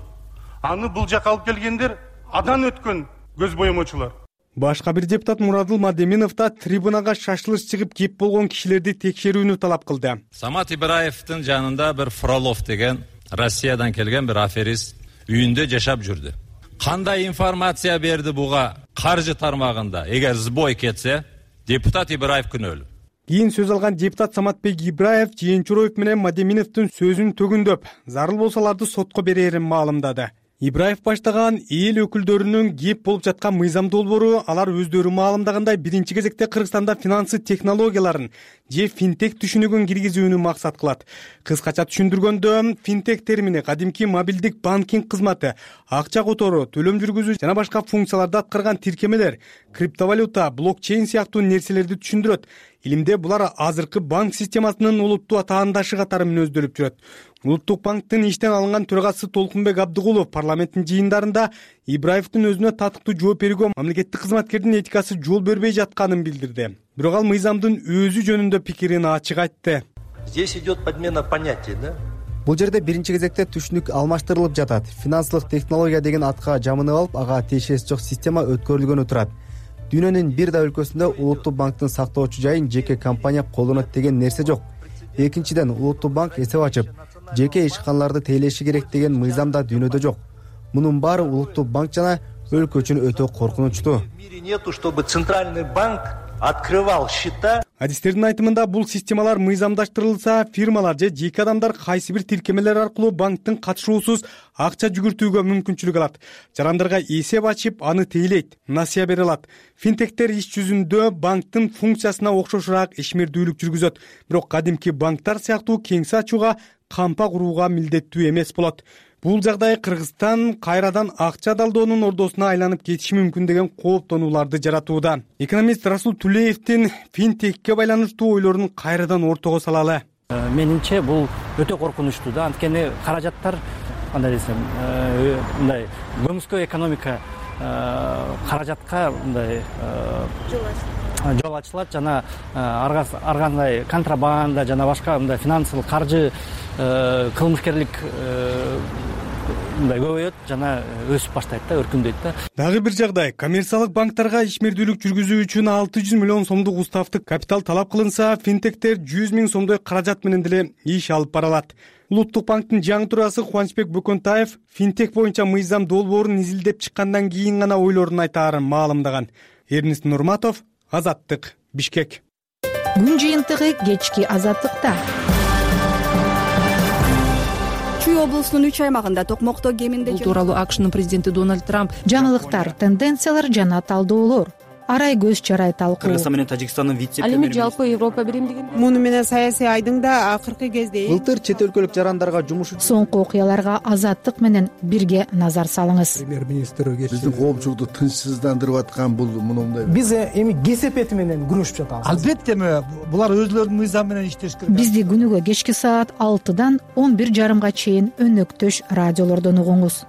Аны бул жака алып келгендер адан өткөн көз боемочулар. Башка бир депутат Мурадыл Мадеминов да трибунага шашылыш чыгып кеп болгон кишилерди текшерүүнү талап кылды. Самат Ибраевдин жанында бир Фролов деген Россиядан келген бир аферист үйүндө жашап жүрдү. Кандай информация берди буга каржы тармагында? Эгер сбой кетсе, депутат Ибраев күнөөлүү. Кийин сөз алган депутат Саматбек Ибраев Жээнчуроев менен Мадеминовдун сөзүн төгүндөп, зарыл болсаларды сотко берерин маалымдады. Ибраев баштаган эл өкүлдөрүнүн кеп болуп жаткан мыйзам долбоору алар өздөрү маалымдагандай биринчи кезекте Кыргызстанда финансы технологияларын же финтек түшүнүгүн киргизүүнү максат кылат. Кыскача түшүндүргөндө, финтек термини кадимки мобилдик банкинг кызматы, акча которуу, төлөм жүргүзүү жана башка функцияларды аткарган тиркемелер, криптовалюта, блокчейн сыяктуу нерселерди түшүндүрөт. Илимде булар азыркы банк системасынын улуттуу атаандашы катары мүнөздөлүп жүрөт. Улуттук банктын иштен алынган төрагасы Толкунбек Абдыгулов парламенттин жыйындарында Ибраевдин өзүнө татыктуу жооп берүүгө мамлекеттик кызматкердин этикасы жол бербей жатканын билдирди. Бирок ал мыйзамдын өзү жөнүндө пикирин ачык айтты. Здесь идет подмена понятий, да? Бул жерде биринчи кезекте түшүнүк алмаштырылып жатат. Финансылык технология деген атка жамынып алып, ага тиешеси жок система өткөрүлгөнү турат. Дүйнөнүн бир да өлкөсүндө улуттук банктын сактоочу жайын жеке компания колдонот деген нерсе жок. Экинчиден, улуттук банк эсеп ачып, жеке ишканаларды тейлеши керек деген мыйзам да дүйнөдө жок. Мунун баары улуттук банк жана өлкө үчүн өтө коркунучтуу. В мире нету, чтобы центральный банк открывал счета. Адистердин айтымында бул системалар мыйзамдаштырылса, фирмалар же жеке адамдар кайсы бир тиркемелер аркылуу банктын катышуусуз акча жүгүртүүгө мүмкүнчүлүк алат. Жарандарга эсеп ачып, аны тейлейт, насыя бере алат. Финтектер иш жүзүндө банктын функциясына окшошураак ишмердүүлүк жүргүзөт. Бирок кадимки банктар сыяктуу кеңсе ачууга, кампа курууга милдеттүү эмес болот. Бул жагдай Кыргызстан кайрадан акча далдоонун ордосуна айланып кетиши мүмкүн деген кооптонууларды жаратууда. Экономист Расул Тулеевдин финтекке байланыштуу ойлорун кайрадан ортого салалы. Менимче бул өтө коркунучтуу да, анткени каражаттар кандай десем, мындай көмүскө экономика каражатка мындай жол ачылат жана ар кандай контрабанда жана башка мындай финансылык каржы кылмышкерлик мындай көбөйөт жана өсүп баштайт да, өркүндөйт да. Дагы бир жагдай, коммерциялык банктарга ишмердүүлүк жүргүзүү үчүн 600 миллион сомдук уставдык капитал талап кылынса, финтектер 100 миң сомдой каражат менен деле иш алып бара алат. Улуттук банктын жаңы төрагасы Кубанычбек Бөкөнтаев финтек боюнча мыйзам долбоорун изилдеп чыккандан кийин гана ойлорун айтаарын маалымдаган. Эрнест Нурматов, Азаттык, Бишкек. Күн жыйынтыгы кечки Азаттыкта. Чүй облусунун 3 аймагында токмокто кеминде бул тууралуу АКШнын президенти Дональд Трамп жаңылыктар, тенденциялар жана талдоолор арай көз чарай талкуу. Кыргызстан менен Тажикстандын вице-премьери. Ал эми жалпы Европа биримдигин. Муну менен саясий айдың да акыркы кезде былтыр чет өлкөлүк жарандарга жумуш соңку окуяларга Азаттык менен бирге назар салыңыз. Премьер-министр биздин коомчулукту тынчсыздандырып аткан бул мындай. Биз эми кесепети менен күрөшүп жатабыз. Албетте булар өзлөрүнүн мыйзамы менен иштеш керек. Бизди күнүгө кечки саат 6-дан 11:30 чейин өнөктөш радиолордон угуңуз.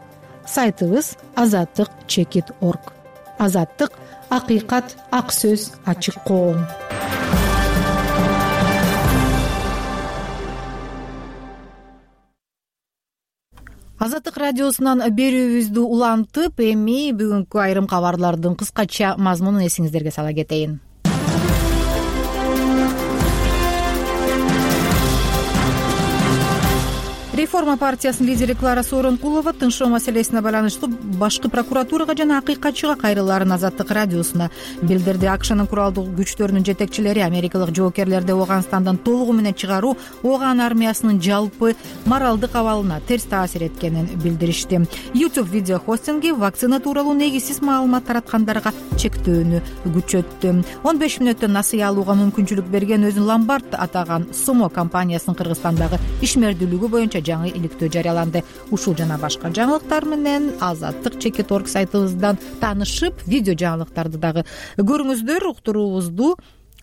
Сайтыбыз azattik.org. Азаттык — акыйкат, ак сөз, ачык коом. Азаттык радиосунан берүүбүздү улантып, эми бүгүнкү айрым кабарлардын кыскача мазмунун эсиңиздерге сала кетейин. Реформа партиясынын лидери Клара Сооронкулова тынчтоо маселесине байланыштуу башкы прокуратурага жана акыйкатчыга кайрылаарын Азаттык радиосуна билдирди. АКШнын куралдуу күчтөрүнүн жетекчилери америкалык жоокерлерди Ооганстандан толугу менен чыгаруу Ооган армиясынын жалпы моралдык абалына терс таасир эткенин билдиришти. YouTube видео хостинги вакцина тууралуу негизсиз маалымат тараткандарга чектөөнү күчөттү. 15 мүнөттөн насыя алууга мүмкүнчүлүк берген өзүн Ломбард атаган Сумо компаниясынын Кыргызстандагы ишмердүүлүгү боюнча жаңы иликтөө жарыяланды. Ушул жана башка жаңылыктар менен azattik.org сайтыбыздан таанышып, видео жаңылыктарды дагы көрүңүздөр. Уктуруубузду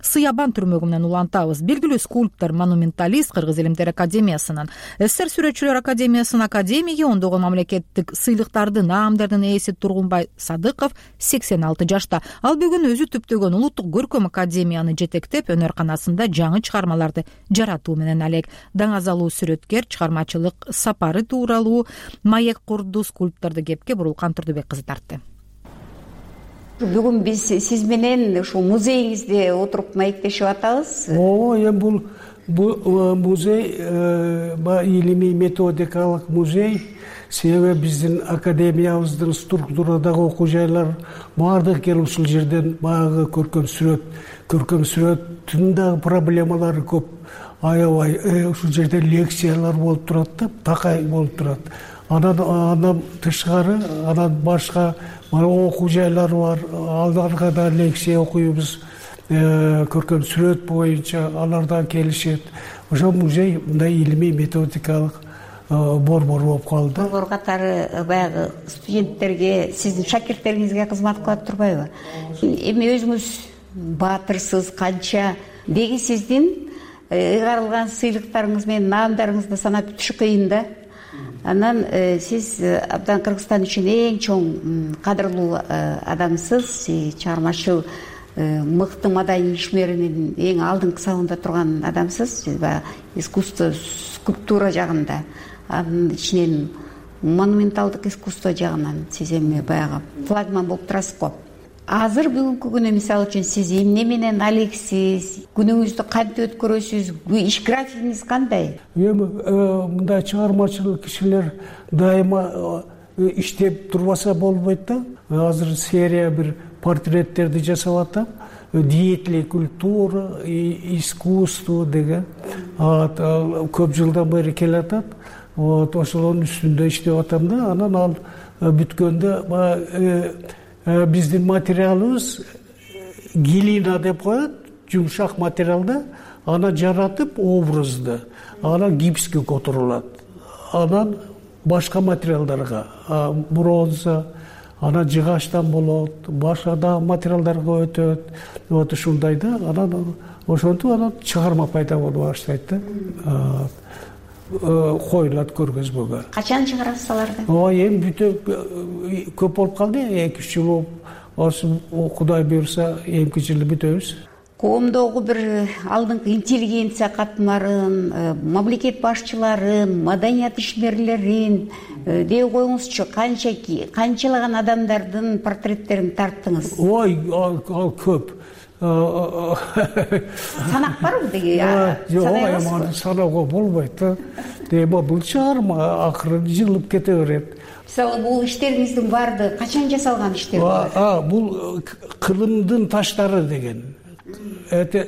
Сыябан түрмөгү менен улантабыз. Белгилүү скульптор, монументалист Кыргыз Илимдер академиясынын, СССР сүрөтчүлөр академиясынын академиги, ондогон мамлекеттик сыйлыктардын, наамдардын ээси Тургунбай Садыков 86 жашта. Ал бүгүн өзү түптөгөн улуттук көркөм академияны жетектеп, өнөр-канасында жаңы чыгармаларды жаратуу менен алек. Даңазалуу сүрөткер чыгармачылык сапары тууралуу маек курду скульпторду кепке Бурулкан Турдубек кызы тартты. Бүгүн биз сиз менен ушул музейиңизде отуруп маектешип атабыз. Эми бул музей илимий методикалык музей. Себеби биздин академиябыздын структурадагы окуу жайлар баардыгы келип ушул жерден баягы көркөм сүрөттүн дагы проблемалары көп. Аябай ушул жерде лекциялар болуп турат да, такай болуп турат. Андан тышкары, анан башка окуу жайлар бар. Аларга да лекция окуйбуз. Көркөм сүрөт боюнча алардан келишет. Ошо музей мындай илимий методикалык борбор болуп калды. Борбор катары баягы студенттерге, сиздин шакирттериңизге кызмат кылат турбайбы? Эми өзүңүз баатырсыз канча деги сиздин ыйгарылган сыйлыктарыңыз менен наамдарыңызды санап бүтүш кыйын да. Анан сиз абдан Кыргызстан үчүн эң чоң кадырлуу адамсыз, чыгармачыл мыкты маданий ишмеринин эң алдыңкы сабында турган адамсыз. Сиз искусство скульптура жагында, анын ичинен монументалдык искусство жагынан сиз эми баягы флагман болуп турасыз го. Азыр бүгүнкү күнү мисалы үчүн сиз эмне менен алексиз, күнүңүздү кантип өткөрөсүз, иш графигиңиз кандай? Эми мындай чыгармачыл кишилер дайыма иштеп турбаса болбойт да. Азыр серия бир портреттерди жасап атам. Деятели культура, искусство деген көп жылдан бери келатат. Ошонун үстүндө иштеп атам да. Анан ал бүткөндө биздин материалыбыз глина деп коет, жумшак материалда, аны жаратып образды, анан гипске которулат. Анан башка материалдарга, бронза, анан жыгачтан болот, башка да материалдарга өтөт. Вот ушундай да, анан ошентип анан чыгарма пайда болуп баштайт да. Коюлат көргөзмөгө. Качан чыгарасыз аларды? Эми бүтө көп болуп калды, 2-3 жыл болуп. Ошо Кудай буйрса 2 жылда бүтөбүз. Коомдогу бир алдыңкы интеллигенция катмарын, мамлекет башчыларын, маданият ишмерлерин деп коюңузчу, канчалаган адамдардын портреттерин тарттыңыз? Ой, ал көп. Санак барбы деги? Жок, саноого болбойт да. Эми бул чыгарма акыры жылып кете берет. Мисалы, бул иштериңиздин баардыгы качан жасалган иштер? Бул Кырымдын таштары деген. Это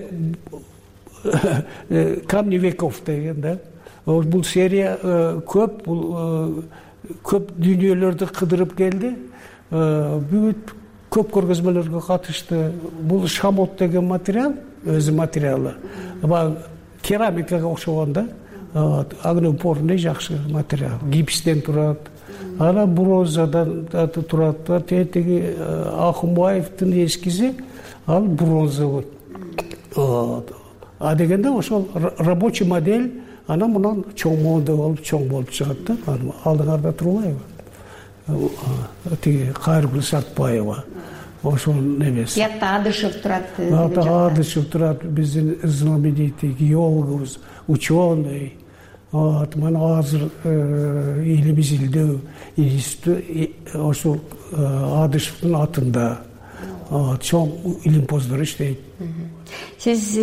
камни веков деген да. Бул серия көп, бул көп дүйнөлөрдү кыдырып келди. Бүт көп көргөзмөлөргө катышты. Бул шамот деген материал, өзү материалы. Керамикага окшогон да. Огнеупорный жакшы материал. Гипстен турат. Анан бронзадан турат. Тетиги Акымбаевдин эскизи ал бронза. Дегенде ошол рабочий модель, анан мындан чоң болуп чыгат да. Алдыңарда турбайбы? Тиги Кайыргүл Сартбаева. Ошол эмес. Тиякта Адышев турат. Адышев турат, биздин знаменитый геологубуз, ученый. Мына азыр Илим изилдөө институту ошол Адышевдин атында чоң илимпоздор иштейт. Сиз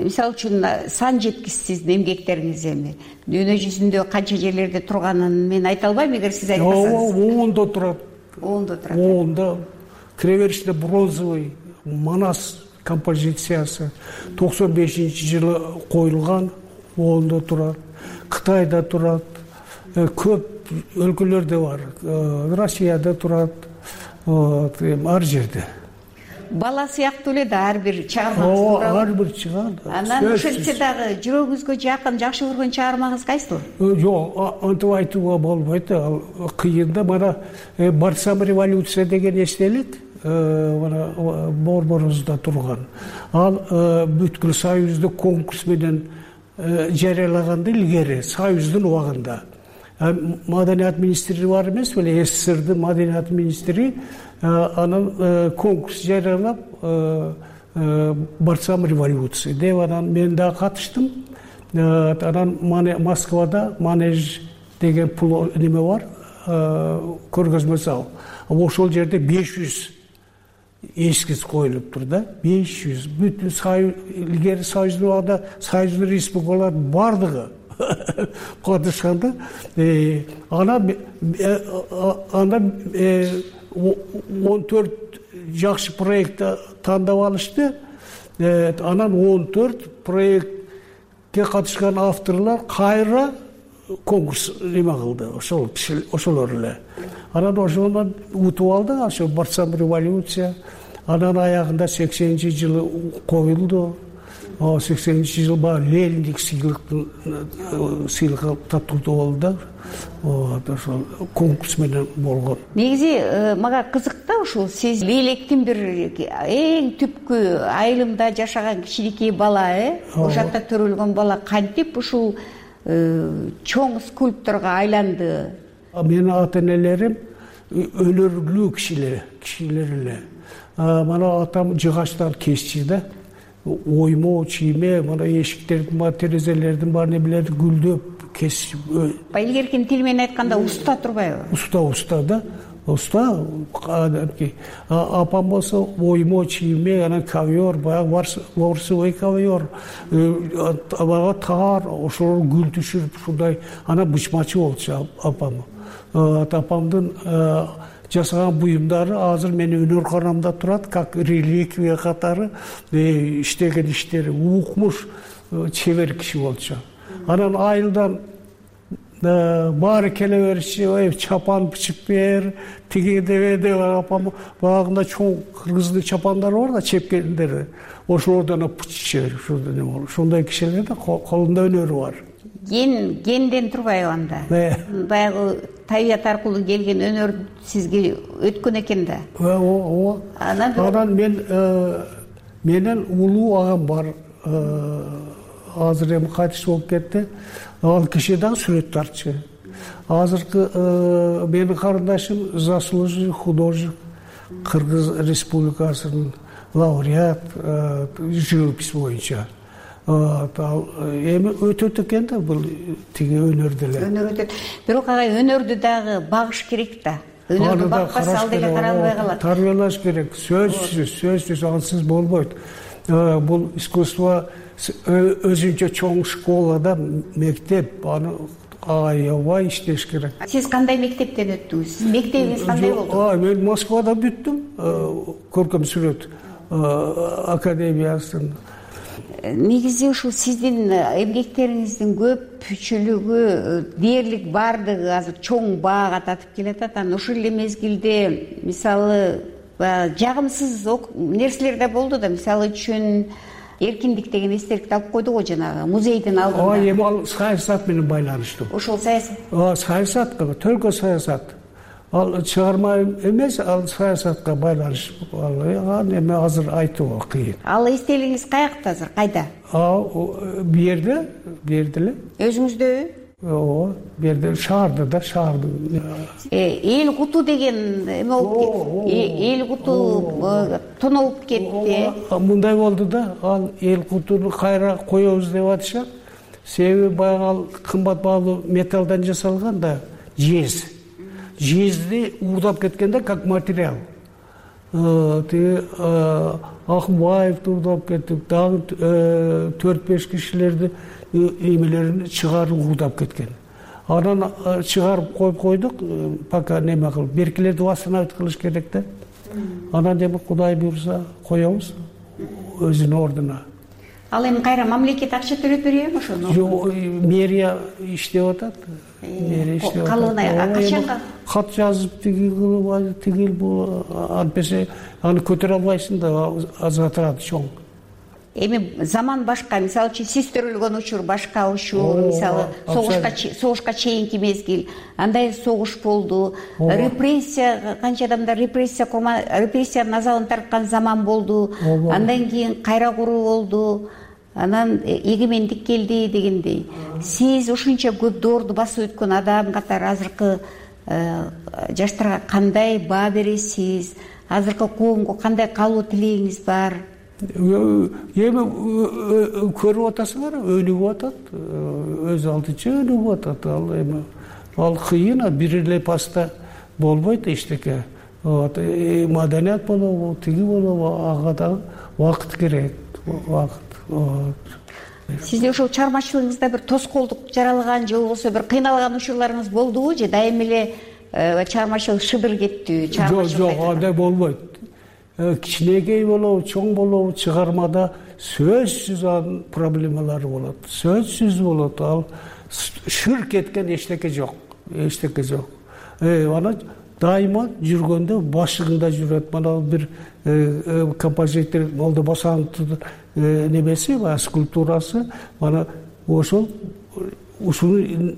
мисалы үчүн сан жеткисиз эмгектериңиз эми дүйнө жүзүндө канча жерлерде турганын мен айта албайм, эгер сиз айтпасаңыз. Оонда турат. Оонда киребериште бронзовый Манас композициясы 95-жылы коюлган, оонда турат. Кытайда турат. Көп өлкөлөрдө бар. Россияда турат. Ар жерде. Бала сыяктуу эле да ар бир чыгармаңыз. Ар бир чыгар. Анан ошентсе дагы жүрөгүңүзгө жакын, жакшы көргөн чыгармаңыз кайсыл? Жок, антип айтууга болбойт. Ал кыйын да. Мана барсам революция деген эстелик, мана борборубузда турган. Ал бүткүл Союздук конкурс менен жарыялаганда илгери, Союздун убагында. Маданият министри бар эмес беле, СССРдин маданият министри анан конкурс жарыялап барсам революция деп анан мен да катыштым. Анан Москвада Манеж деген неме бар, көргөзмө зал. Ошол жерде 500 эскиз коюлуп тур да. 500 бүтүн илгери Союздун убагында Союздун республикалар бардыгы катышканда, анда 14 жакшы проектти тандап алышты. Анан 14 проектке катышкан авторлор кайра конкурс неме кылды. Ошолор эле. Анан ошондон утуп алдык, ошо барсам революция. Анан аягында 80-жылы коюлду. 80-жыл баягы Лениндик сыйлык таттуулдуу болду. Ошол конкурс менен болгон. Негизи мага кызык да ушул сиз электин бир эң түпкү айылымда жашаган кичинекей бала, ошол жакта төрөлгөн бала кантип ушул чоң скульпторго айланды? Менин ата-энелерим өнөрлүү кишилер эле. Мана атам жыгачтан кесчи да. Оймо, чийме, мана эшиктердин, терезелердин бар немелери гүлдөп кесип илгеркин тил менен айтканда уста турбайбы? Уста да. Уста апам болсо оймо чийме, анан ковер, баягы ворсовой ковер, баягы таар, ошол гүл түшүрүп ушундай, анан бычмачы болчу апам. Апамдын жасаган буюмдары азыр менин өнөр турат, как реликвия катары иштеген иштери, укмуш чебер киши болчу. Анан айылдан баары келе бериши, чапан бычып бер, тиги деп апам багында чоң кыргыздын чапандары бар да, чепкендери. Ошолордон бычып бер, ошондой кишилерде колунда өнөрү бар. Генден турбайбы анда? Баягы табият аркылуу келген өнөр сизге өткөн экен да. Ооба. Анан менен улуу агам бар. Азыр эми кайтыш болуп кетти. Ал киши дагы сүрөт тартчу. Азыркы менин карындашым заслуженный художник, Кыргыз Республикасынын лауреат живопись боюнча. Эми өтөт экен да бул тиги өнөр деле. Өнөр өтөт. Бирок ага өнөрдү дагы багыш керек да. Өнөрдү бакпаса ал деле каралбай калат. Тарбиялаш керек. Сөзсүз ансыз болбойт. Бул искусство өзүнчө чоң школада, мектеп, аны аябай иштеш керек. Сиз кандай мектептен өттүңүз? Сиз мектебиңиз кандай болду? Мен Москвада бүттүм, көркөм сүрөт академиясын. Негизи ушул сиздин эмгектериңиздин көпчүлүгү, дээрлик баардыгы азыр чоң баага татып келатат. Анан ушул эле мезгилде мисалы жагымсыз нерселер да болду да, мисалы үчүн эркиндик деген эстеликти алып койду го жанагы музейдин алдында. Эми ал саясат менен байланыштуу. Ошол саясат? Саясат, только саясат. Ал чыгарма эмес, ал саясатка байланыштуу. Ал эми азыр айтууга кыйын. Ал эстелигиңиз каякта азыр, кайда? Бу жерде эле. Өзүңүздөбү? Ооба, бу жерде шаардын. Эл куту деген эме болуп кетти. Эл куту тоноп кетти. Мындай болду да, ал эл кутуну кайра коебуз деп атышат. Себеби баягы ал кымбат баалуу металлдан жасалган да, жез. Жезди уурдап кеткенде как материал. Тиги Акмбаев уурдап кетти, дагы 4-5 кишилерди эмелерин чыгарып уурдап кеткен. Анан чыгарып койдук, пока неме кылып, беркилерди восстановить кылыш керек да. Анан эми Кудай буйрса коебуз өзүнүн ордуна. Ал эми кайра мамлекет акча төлөп береби ошону? Жок, мэрия иштеп атат. Калыбына качанга? Кат жазып тигил бул антпесе аны көтөрө албайсың да, затраты чоң. Эми заман башка, мисалы үчүн сиз төрөлгөн учур башка учур, мисалы согушка чейинки мезгил, андай согуш болду, репрессия, канча адамдар репрессиянын азабын тарткан заман болду, андан кийин кайра куруу болду, анан эгемендик келди дегендей. Сиз ушунча көп доорду басып өткөн адам катары азыркы жаштарга кандай баа бересиз? Азыркы коомго кандай калуу тилегиңиз бар? Эми көрүп атасыңар, өнүгүп атат, өз алдынча өнүгүп атат. Ал кыйын, бир эле паста болбойт эчтеке. Маданият болобу, тиги болобу, ага дагы убакыт керек, убакыт. Сизде ошол чыгармачылыгыңызда бир тоскоолдук жаралган же болбосо бир кыйналган учурларыңыз болдубу же дайым эле чыгармачылык шыдыр кеттиби? Жок, андай болбойт. Кичинекей болобу, чоң болобу, чыгармада сөзсүз анын проблемалары болот. Сөзсүз болот. Ал шыр кеткен эчтеке жок. Ана дайыма жүргөндө башыгында жүрөт. Мына бир композитор Молдо Босановдун немеси, скульптурасы, мана ошол ушуну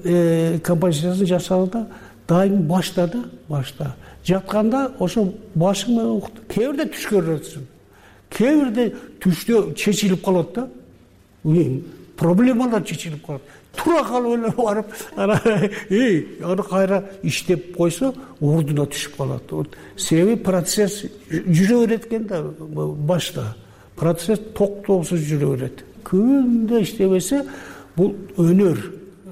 композициясын жасауда дайым башта. Жатканда ошо башың менен кээ бирде түш көрөсүң. Кээ бирде түштө чечилип калат да. Проблемалар чечилип калат. Тура калып эле барып, аны кайра иштеп койсо, ордуна түшүп калат. Себеби процесс жүрө берет экен да башта. Процесс токтоосуз жүрө берет. Күндө иштебесе, бул өнөр.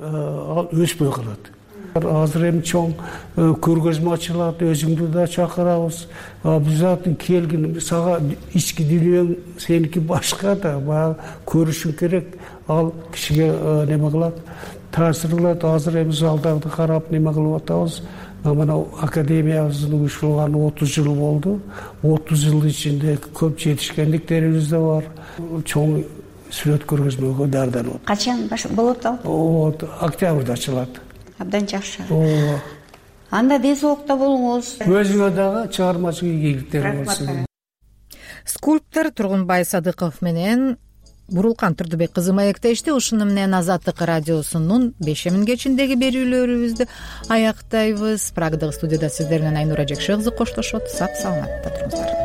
ал өспөй калат. Азыр эми чоң көргөзмө ачылат, өзүңдү да чакырабыз. Обязательно келгин, сага ички дүйнөң сеники башка да, баягы көрүшүң керек. Ал кишиге неме кылат, таасир кылат. Азыр эми залдарды карап неме кылып атабыз. Мына академиябыздын уюштурулганы 30 жыл болду. 30 жыл ичинде көп жетишкендиктерибиз да бар. Чоң сүрөт көргөзмөгө даярданып атат. Качан болот ал? Октябрда ачылат. Абдан жакшы. Анда ден соолукта болуңуз. Өзүңө дагы чыгармачылык ийгиликтер болсун. Скульптор Тургунбай Садыков менен Бурулкан Турдубек кызы маектешти. Ушуну менен Азаттык радиосунун 5 кечиндеги берүүлөрүбүздү аяктайбыз. Прагдагы студияда сиздер менен Айнура Жекши кызы коштошот. Сак саламатта туруңуздар.